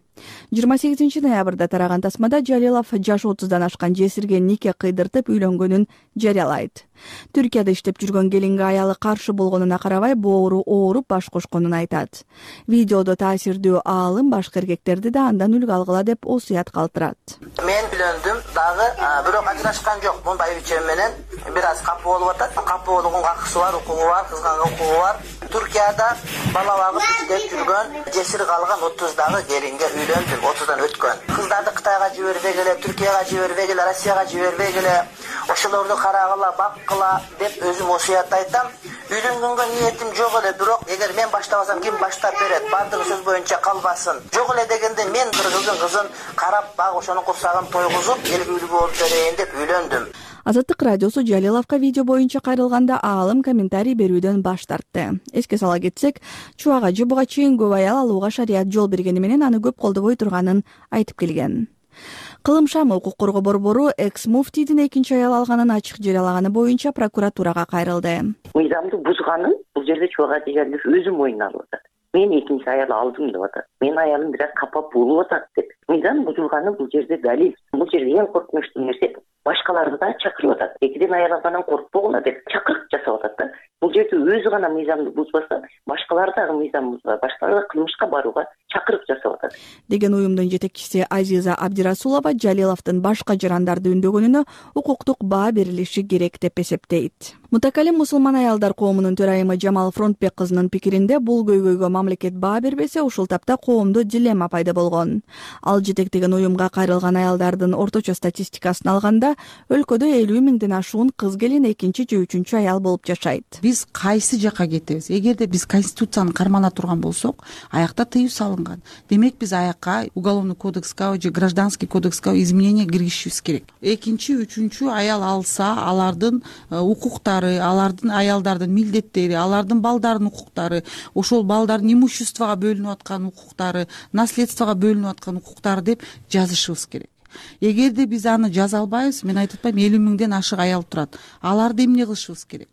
жыйырма сегизинчи ноябрда тараган тасмада Жалилов жашы отуздан ашкан жесирге нике кыйдыртып үйлөнгөнүн жарыялайт. Түркияда иштеп жүргөн келинге аялы каршы болгонуна карабай боору ооруп баш кошконун айтат. Видеодо таасирдүү аалым башка эркектерди да андан үлгү алгыла деп осуят калтырат. Мен үйлөндүм дагы, бирок ажырашкан жокмун, байбичем менен бир аз капы болуп атат. Капы болгонго акысы бар, укугу бар, кызганга укугу бар. Түркияда бала багып иштеп жүргөн жесир калган отуздагы келинге үйлөндүм, отуздан өткөн. Кыздарды Кытайга жибербегиле, Түркияга жибербегиле, Россияга жибербегиле, ошолорду карагыла, баккыла деп өзүм осуят айтам. Үйлөнгөнгө ниетим жок эле, бирок эгер мен баштабасам ким баштап берет? Бардыгы сөз боюнча калбасын. Жок эле дегенде мен кыргыздын кызын карап, баг ошонун курсагын тойгузуп, эл күлүү болуп берейин деп үйлөндүм. Азаттык радиосу Жалиловго видео боюнча кайрылганда аалым комментарий берүүдөн баш тартты. Эске сала кетсек, чубак ажы буга чейин көп аял алууга шарият жол бергени менен аны көп колдобой турганын айтып келген. Кылым Шамы укук коргоо борбору экс муфтийдин экинчи аял алганын ачык жарыялаганы боюнча прокуратурага кайрылды. Мыйзамды бузганын бул жерде чубак ажы Жалилов өзү мойнуна алып атат. Мен экинчи аял алдым деп атат. Менин аялым бир аз капа болуп атат деп. Мыйзам бузулганы бул жерде далил. Бул жерде эң коркунучтуу нерсе башкаларды да чакырып атат. Экиден аял алгандан коркпогула деп чакырык жасап атат да. Бул жерде өзү гана мыйзамды бузбаса, башкалар дагы мыйзам бузбай, башкалар да кылмышка барууга чакырык жасап атат деген уюмдун жетекчиси Азиза Абдирасулова Жалиловдун башка жарандарды үндөгөнүнө укуктук баа берилиши керек деп эсептейт. Мутакалим мусулман аялдар коомунун төрайымы Жамал Фронтбек кызынын пикиринде бул көйгөйгө мамлекет баа бербесе, ушул тапта коомдо дилемма пайда болгон. Ал жетектеген уюмга кайрылган аялдардын орточо статистикасын алганда, өлкөдө элүү миңден ашуун кыз келин экинчи же үчүнчү аял болуп жашайт. Биз кайсы жакка кетебиз? Эгерде биз конституцияны кармана турган болсок, аякта тыюу салынган. Демек биз аякка уголовный кодекске же гражданский кодекске изменение киргизишибиз керек. Экинчи, үчүнчү аял алса, алардын укуктары, алардын аялдардын милдеттери, алардын балдардын укуктары, ошол балдардын имуществого бөлүнүп аткан укуктары, наследствого бөлүнүп аткан укуктары деп жазышыбыз керек. Эгерде биз аны жаза албайбыз, мен айтып атпайм, элүү миңден ашык аял турат. Аларды эмне кылышыбыз керек?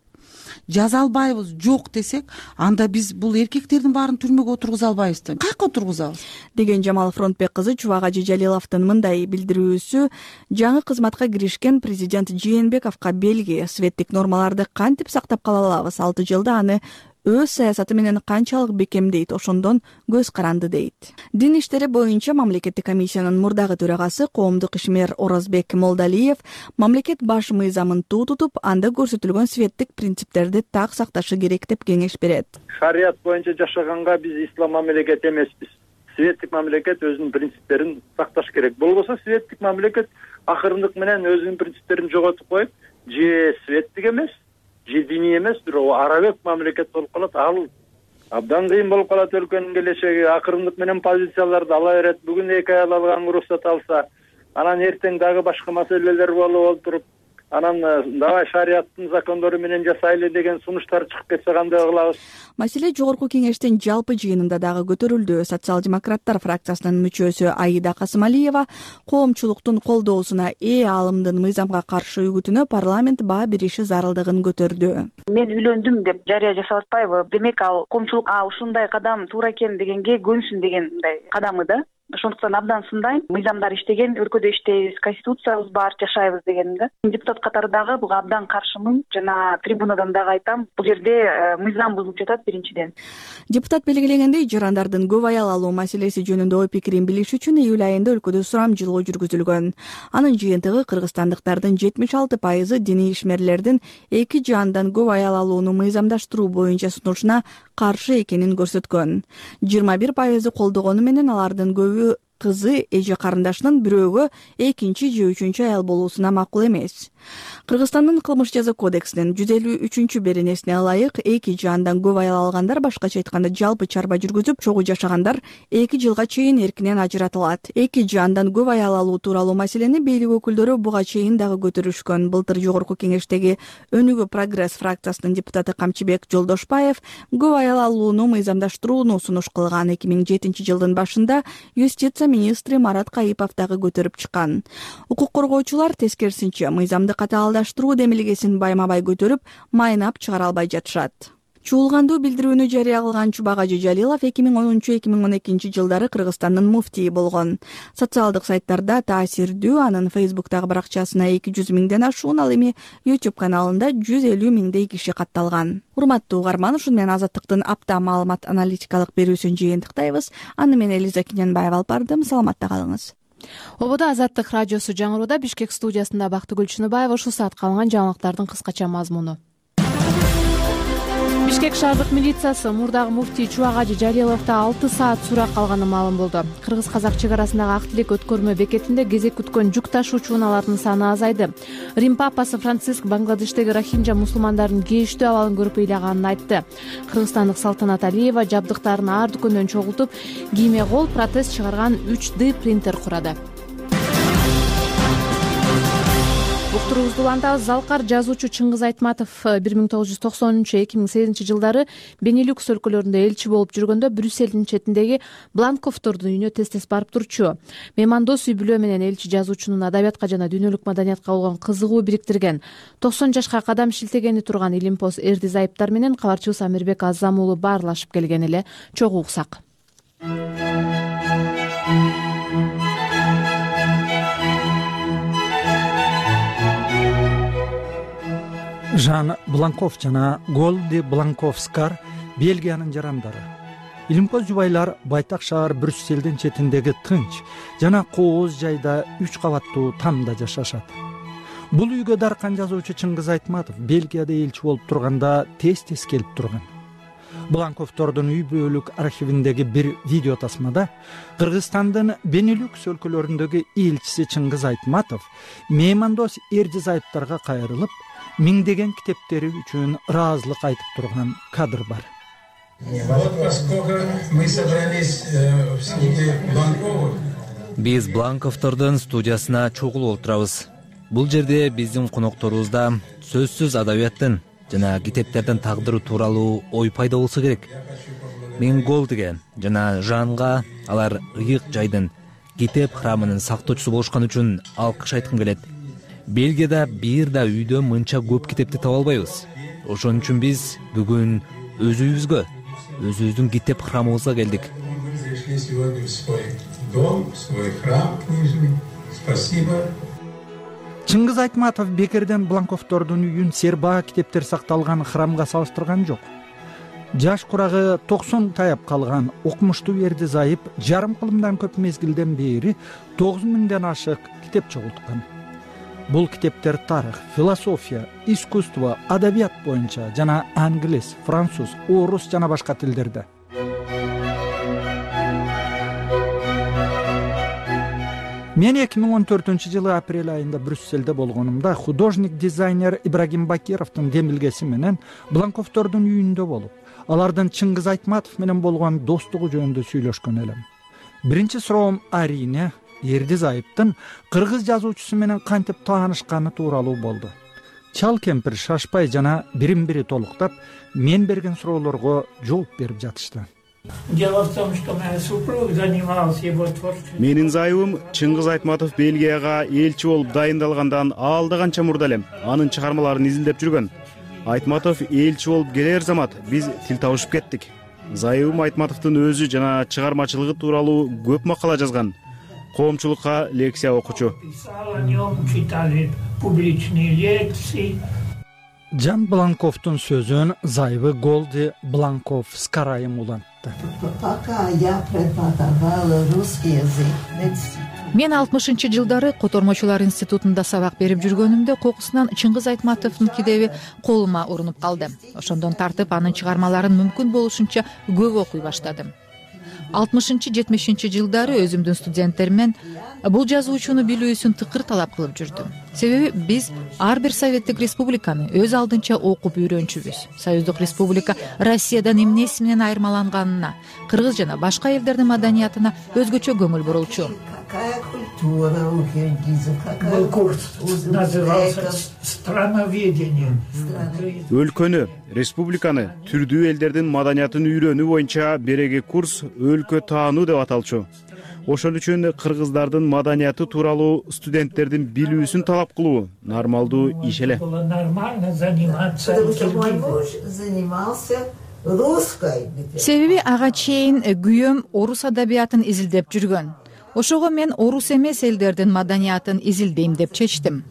Жаза албайбыз, жок десек, анда биз бул эркектердин баарын түрмөгө отургуза албайбыз да. Кайка отургузабыз? деген Жамал Фронтбек кызы Чубак ажы Жалиловдун мындай билдирүүсү жаңы кызматка киришкен президент Жээнбековго белги. Светтик нормаларды кантип сактап кала алабыз? алты жылда аны өз саясаты менен канчалык бекемдейт, ошондон көз каранды дейт. Дин иштери боюнча мамлекеттик комиссиянын мурдагы төрагасы коомдук ишмер Оразбек Молдалиев мамлекет баш мыйзамын туу тутуп, анда көрсөтүлгөн светтик принциптерди так сакташы керек деп кеңеш берет. Шарият боюнча жашаганга биз ислам мамлекети эмеспиз. Светтик мамлекет өзүнүн принциптерин сакташ керек. Болбосо светтик мамлекет акырындык менен өзүнүн принциптерин жоготуп коюп, же светтик эмес, же диний эмес, бирок арабек мамлекет болуп калат. Ал абдан кыйын болуп калат өлкөнүн келечеги. Акырындык менен позицияларды ала берет. Бүгүн эки аял алган уруксат алса, анан эртең дагы башка маселелер болуп отуруп, анан давай шариаттын закондору менен жасайлы деген сунуштар чыгып кетсе кандай кылабыз? Маселе жогорку кеңештин жалпы жыйынында дагы көтөрүлдү. Социал-демократтар фракциясынын мүчөсү Аида Касымалиева коомчулуктун колдоосуна ээ аалымдын мыйзамга каршы үгүтүнө парламент баа бериши зарылдыгын көтөрдү. Мен үйлөндүм деп жарыя жасап атпайбы? Демек ал коомчулук а ушундай кадам туура экен дегенге көнсүн деген мындай кадамы да. Ошондуктан абдан сындайм. Мыйзамдар иштеген, өлкөдө иштейбиз, конституциябыз бар, жашайбыз дегеним да. Депутат катары дагы буга абдан каршымын. Жана трибунадан дагы айтам, бул жерде мыйзам бузулуп жатат биринчиден. Депутат белгилегендей, жарандардын көп аял алуу маселеси жөнүндө ой пикирин билиш үчүн июль айында өлкөдө сурам жылуу жүргүзүлгөн. Анын жыйынтыгы кыргызстандыктардын жетимиш алты пайызы диний ишмерлердин эки же андан көп аял алууну мыйзамдаштыруу боюнча сунушуна каршы экенин көрсөткөн. жыйырма бир пайызы колдогону менен алардын көбү кызы эже карындашынын бирөөгө экинчи же үчүнчү аял болуусуна макул эмес. Кыргызстандын кылмыш жаза кодексинин жүз элүү үчүнчү беренесине ылайык эки же андан көп аял алгандар, башкача айтканда жалпы чарба жүргүзүп чогуу жашагандар эки жылга чейин эркинен ажыратылат. эки же андан көп аял алуу тууралуу маселени бийлик өкүлдөрү буга чейин дагы көтөрүшкөн. Былтыр жогорку кеңештеги Өнүгүү Прогресс фракциясынын депутаты Камчыбек Жолдошбаев көп аял алууну мыйзамдаштырууну сунуш кылган. эки миң жетинчи жылдын башында юстиция министри Марат Кайыпов дагы көтөрүп чыккан. Укук коргоочулар тескерисинче мыйзамды катаалдаштыруу демилгесин байма-бай көтөрүп, майнап чыгара албай жатышат. Чуулгандуу билдирүүнү жарыя кылган Чубак ажы Жалилов эки миң онунчу — эки миң он экинчи жылдары Кыргызстандын муфтийи болгон. Социалдык сайттарда таасирдүү, анын Фейсбуктагы баракчасына эки жүз миңден ашуун, ал эми YouTube каналында жүз элүү миңдей киши катталган. Урматтуу угарман, ушуну менен Азаттыктын апта маалымат аналитикалык берүүсүн жыйынтыктайбыз. Аны мен Элиза Киненбаева алып бардым. Саламатта калыңыз. Ободо Азаттык радиосу жаңырууда. Бишкек студиясында Бактыгүл Чыныбаева. Ушул саатка алынган жаңылыктардын кыскача мазмуну. Бишкек шаардык милициясы мурдагы муфтий Чубак ажы Жалиловдо алты саат сурак алганы маалым болду. Кыргыз-казак чек арасындагы ак тилек өткөрмө бекетинде кезек күткөн жүк ташуучу унаалардын саны азайды. Рим папасы Франциск Бангладештеги рохинджа мусулмандардын кейиштүү абалын көрүп ыйлаганын айтты. Кыргызстандык Салтанат Алиева жабдыктарын ар дүкөндөн чогултуп, кийме кол протез чыгарган үч дэ принтер курады. уктуруубузду улантабыз. Залкар жазуучу Чыңгыз Айтматов бир миң тогуз жүз токсонунчу эки миң сегизинчи жылдары Бенилюкс өлкөлөрүндө элчи болуп жүргөндө Брюссельдин четиндеги Бланковтордун үйүнө тез-тез барып турчу. Меймандос үй бүлө менен элчи жазуучунун адабиятка жана дүйнөлүк маданиятка болгон кызыгуу бириктирген. токсон жашка кадам шилтегени турган Илимпоз Эрди Зайыптар менен кабарчыбыз Амирбек Азам уулу баарлашып келген эле. Чогуу уксак. Жан Бланков жана Голди Бланковскар Бельгиянын жарандары. Илимпоз жубайлар байтак шаар Брюссельдин четиндеги тынч жана кооз жайда үч кабаттуу тамда жашашат. Бул үйгө даркан жазуучу Чыңгыз Айтматов Бельгияда элчи болуп турганда тез-тез келип турган. Бланковтордун үй бүлөлүк архивиндеги бир видео тасмада Кыргызстандын Бенилюкс өлкөлөрүндөгү элчиси Чыңгыз Айтматов меймандос Эрди Зайыптарга кайрылып, миңдеген китептери үчүн ыраазылык айтып турган кадр бар. Биз Бланковтордун студиясына чогулуп отурабыз. Бул жерде биздин конокторубузда сөзсүз адабияттын жана китептердин тагдыры тууралуу ой пайда болсо керек. Мен Голдиге жана Жанга алар ыйык жайдын китеп храмынын сактоочусу болушкан үчүн алкыш айткым келет. Бельгияда бир да үйдө мынча көп китепти таба албайбыз. Ошон үчүн биз бүгүн өз үйүбүзгө, өзүбүздүн китеп храмыбызга келдик. Чыңгыз Айтматов бекерден Бланковтордун үйүн сербаа китептер сакталган храмга салыштырган жок. Жаш курагы токсон таяп калган окумуштуу Эрди Зайып жарым кылымдан көп мезгилден бери тогуз миңден ашык китеп чогулткан. Бул китептер тарых, философия, искусство, адабият боюнча жана англис, француз, орус жана башка тилдерде. Мен эки миң он төртүнчү жылы апрель айында Брюссельде болгонумда художник-дизайнер Ибрагим Бакировдун демилгеси менен Бланковтордун үйүндө болуп, алардын Чыңгыз Айтматов менен болгон достугу жөнүндө сүйлөшкөн элем. Биринчи суроом арине Эрди Зайыптын кыргыз жазуучусу менен кантип таанышканы тууралуу болду. Чал кемпир шашпай жана бирин-бири толуктап, мен берген суроолорго жооп берип жатышты. Дело в том, что моя супруга занималась его творчеством. Менин зайыбым Чыңгыз Айтматов Бельгияга элчи болуп дайындалгандан алда канча мурда элем анын чыгармаларын изилдеп жүргөн. Айтматов элчи болуп келер замат биз тил табышып кеттик. Зайыбым Айтматовдун өзү жана чыгармачылыгы тууралуу көп макала жазган. Коомчулукка лекция окучу. Жан Бланковдун сөзүн зайыбы Голди Бланковскар айым улантты. Мен алтымышынчы жылдары Котормочулар институтунда сабак берип жүргөнүмдө кокусунан Чыңгыз Айтматовдун китеби колума урунуп калды. Ошондон тартып анын чыгармаларын мүмкүн болушунча көп окуй баштадым. алтымышынчы жетимишинчи жылдары өзүмдүн студенттериммен бул жазуучуну билүүсүн тыкыр талап кылып жүрдүм. Себеби биз ар бир советтик республиканы өз алдынча окуп үйрөнчүбүз. Союздук республика Россиядан эмнеси менен айырмаланганына, кыргыз жана башка элдердин маданиятына өзгөчө көңүл бурулчу. Был курс назывался «Страноведение». Өлкөнү, республиканы, түрдүү элдердин маданиятын үйрөнүү боюнча береги курс өлкө таануу деп аталчу. Ошон үчүн кыргыздардын маданияты тууралуу студенттердин билүүсүн талап кылуу нормалдуу иш эле. Себеби ага чейин күйөөм орус адабиятын изилдеп жүргөн. Ошого мен орус эмес элдердин маданиятын изилдейм деп чечтим.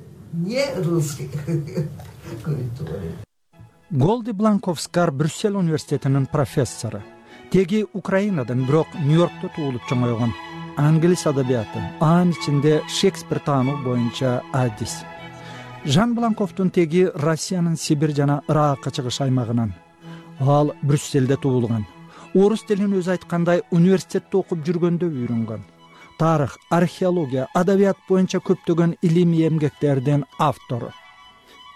Голди Бланковскар Брюссель университетинин профессору. Теги Украинадан, бирок Нью-Йоркто туулуп чоңойгон. Англис адабияты, анын ичинде Шекспир таануу боюнча адис. Жан Бланковдун теги Россиянын Сибирь жана Иракка чыгыш аймагынан. Ал Брюссельде туулган. Орус тилин өзү айткандай университетте окуп жүргөндө үйрөнгөн. Тарых, археология, адабият боюнча көптөгөн илимий эмгектердин автору.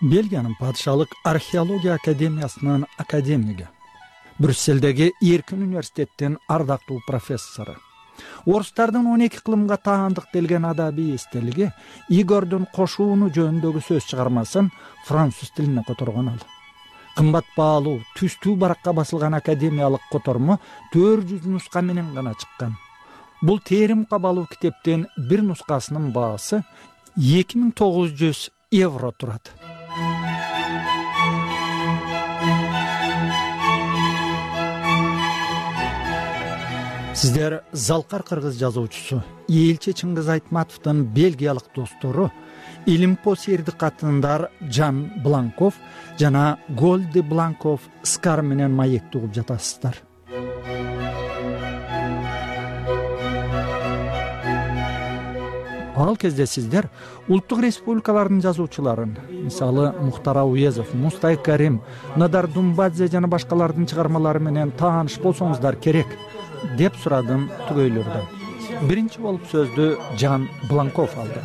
Бельгиянын падышалык археология академиясынын академиги. Брюссельдеги Эркин университеттин ардактуу профессору. Орустардын он эки кылымга таандык делген адабий эстелиги Игордун кошууну жөнүндөгү сөз чыгармасын француз тилине которгон ал. Кымбат баалуу, түстүү баракка басылган академиялык котормо төрт жүз нуска менен гана чыккан. Бул терим кабалуу китептин бир нускасынын баасы эки миң тогуз жүз евро турат. Сиздер Залкар кыргыз жазуучусу Элчи Чыңгыз Айтматовдун бельгиялык достору Илимпо сертикатындар Жан Бланков жана Голди Бланков Скар менен маекти угуп жатасыздар. Ал кезде сиздер улуттук республикалардын жазуучуларын, мисалы Мухтар Ауезов, Мустай Карим, Надар Думбадзе жана башкалардын чыгармалары менен тааныш болсоңуздар керек деп сурадым түгөйлөрдөн. Биринчи болуп сөздү Жан Бланков алды.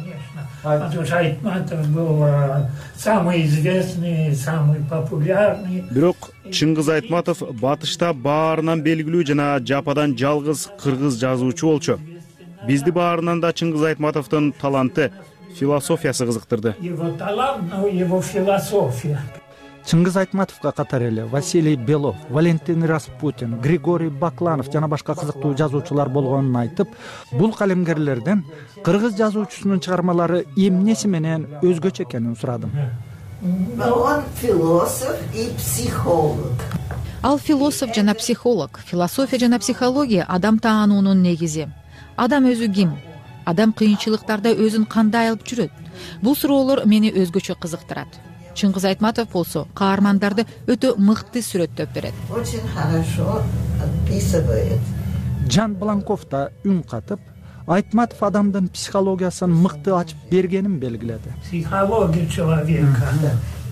Айтматов был самый известный, самый популярный. Бирок Чыңгыз Айтматов батышта баарынан белгилүү жана жападан жалгыз кыргыз жазуучу болчу. Бизди баарынан да Чыңгыз Айтматовдун таланты, философиясы кызыктырды. Его талант, но его философия. Чыңгыз Айтматовго катар эле Василий Белов, Валентин Распутин, Григорий Бакланов жана башка кызыктуу жазуучулар болгонун айтып, бул калемгерлерден кыргыз жазуучусунун чыгармалары эмнеси менен өзгөчө экенин сурадым. Он философ и психолог. Ал философ жана психолог. Философия жана психология адам таануунун негизи. Адам өзү ким? Адам кыйынчылыктарда өзүн кандай алып жүрөт? Бул суроолор мени өзгөчө кызыктырат. Чыңгыз Айтматов болсо каармандарды өтө мыкты сүрөттөп берет. Очень хорошо описывает. Жан Бланков да үн катып, Айтматов адамдын психологиясын мыкты ачып бергенин белгиледи. Психология человека.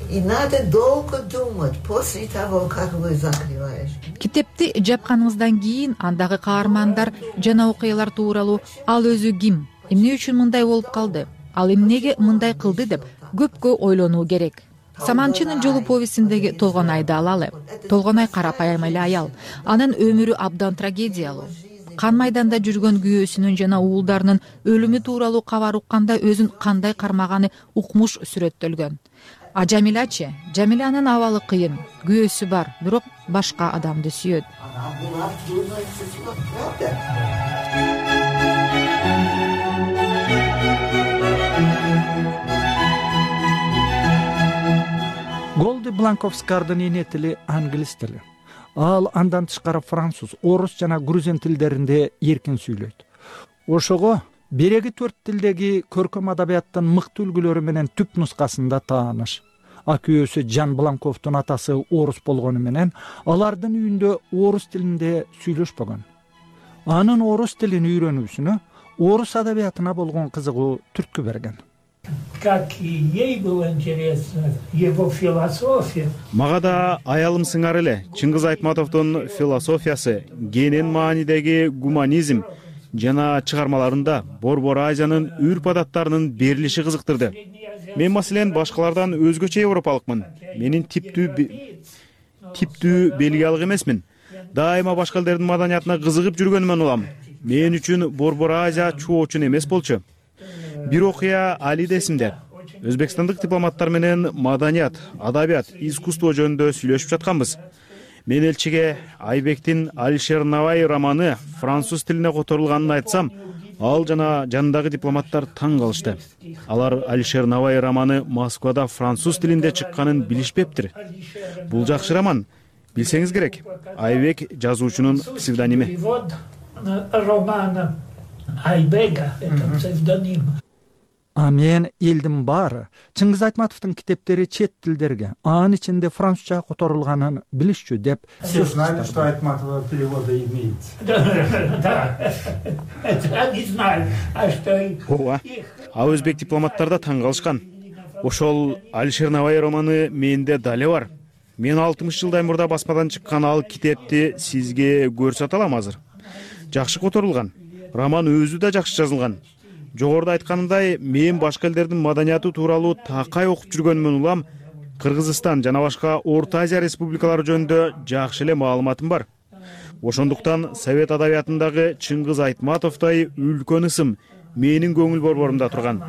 И надо долго думать после того, как вы закрываешь. Китепти жапканыңыздан кийин андагы каармандар жана окуялар тууралуу ал өзү ким, эмне үчүн мындай болуп калды, ал эмнеге мындай кылды деп көпкө ойлонуу керек. Саманчынын жолу повестиндеги Толгонайды алалы. Толгонай карапайым эле аял. Анын өмүрү абдан трагедиялуу. Кан майданда жүргөн күйөөсүнүн жана уулдарынын өлүмү тууралуу кабар укканда өзүн кандай кармаганы укмуш сүрөттөлгөн. А Жамилачы, Жамиланын абалы кыйын, күйөөсү бар, бирок башка адамды сүйөт. Голди Бланковскардын эне тили англис тили. Ал андан тышкары француз, орус жана грузин тилдеринде эркин сүйлөйт. Ошого береги төрт тилдеги көркөм адабияттын мыкты үлгүлөрү менен түп нускасында тааныш. Акүйөөсү Жан Бланковдун атасы орус болгону менен алардын үйүндө орус тилинде сүйлөшпөгөн. Анын орус тилин үйрөнүүсүнө орус адабиятына болгон кызыгуу түрткү берген. Как и ей было интересно его философия. Мага да аялым сыңар эле Чыңгыз Айтматовдун философиясы, кенен маанидеги гуманизм жана чыгармаларында Борбор Азиянын үрп адаттарынын берилиши кызыктырды. Мен маселен башкалардан өзгөчө европалыкмын. Менин типтүү типтүү бельгиялык эмесмин. Дайыма башка элдердин маданиятына кызыгып жүргөнүмөн улам. Мен үчүн Борбор Азия чоочун эмес болчу. Бир окуя али эсимде. Өзбекстандык дипломаттар менен маданият, адабият, искусство жөнүндө сүйлөшүп жатканбыз. Мен элчиге Айбектин Алишер Навай романы француз тилине которулганын айтсам, ал жана жанындагы дипломаттар таң калышты. Алар Алишер Навай романы Москвада француз тилинде чыкканын билишпептир. Бул жакшы роман. Билсеңиз керек. Айбек жазуучунун псевдоними. Романа Айбега это псевдоним. А мен элдин баары Чыңгыз Айтматовдун китептери чет тилдерге, анын ичинде французча которулганын билишчү деп. Все знали, что Айтматова перевода имеет. Да, это не знаю, а что... Ооба, а өзбек дипломаттар да таң калышкан. Ошол Алишер Навай романы менде дале бар. Мен алтымыш жылдай мурда басмадан чыккан ал китепти сизге көрсөтө алам азыр. Жакшы которулган. Роман өзү да жакшы жазылган. Жогоруда айтканымдай, мен башка элдердин маданияты тууралуу такай окуп жүргөнүмөн улам, Кыргызстан жана башка Орто Азия республикалары жөнүндө жакшы эле маалыматым бар. Ошондуктан совет адабиятындагы Чыңгыз Айтматовдой үлкөн ысым менин көңүл борборумда турган.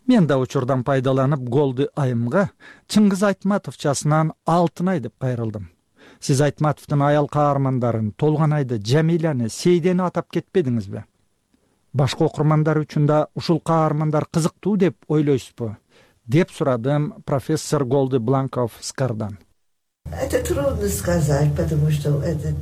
Мен да учурдан пайдаланып Голды айымга Чыңгыз Айтматовчасынан алтын ай деп кайрылдым. Сиз Айтматовдун аял каармандарын Толгонайды, Жамиляны, Сейдени атап кетпедиңизби? Башка окурмандар үчүн да ушул каармандар кызыктуу деп ойлойсузбу? Деп сурадым профессор Голды Бланков Скардан. Это трудно сказать, потому что это...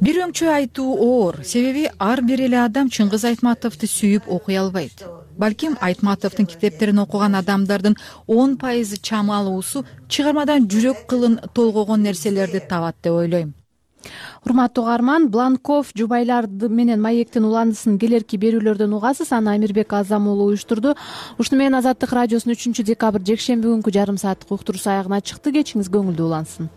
Бир өңчө айтуу оор, себеби ар бир эле адам Чыңгыз Айтматовду сүйүп окуй албайт. Балким Айтматовдун китептерин окуган адамдардын он пайызы чамалуусу чыгармадан жүрөк кылын толгогон нерселерди табат деп ойлойм. Урматтуу угарман, Бланков жубайлар менен маектин уландысын келерки берүүлөрдөн угасыз. Аны Амирбек Азам уулу уюштурду. Ушуну менен Азаттык радиосунун үчүнчү декабрь жекшемби күнкү жарым сааттык уктуруусу аягына чыкты. Кечиңиз көңүлдүү улансын.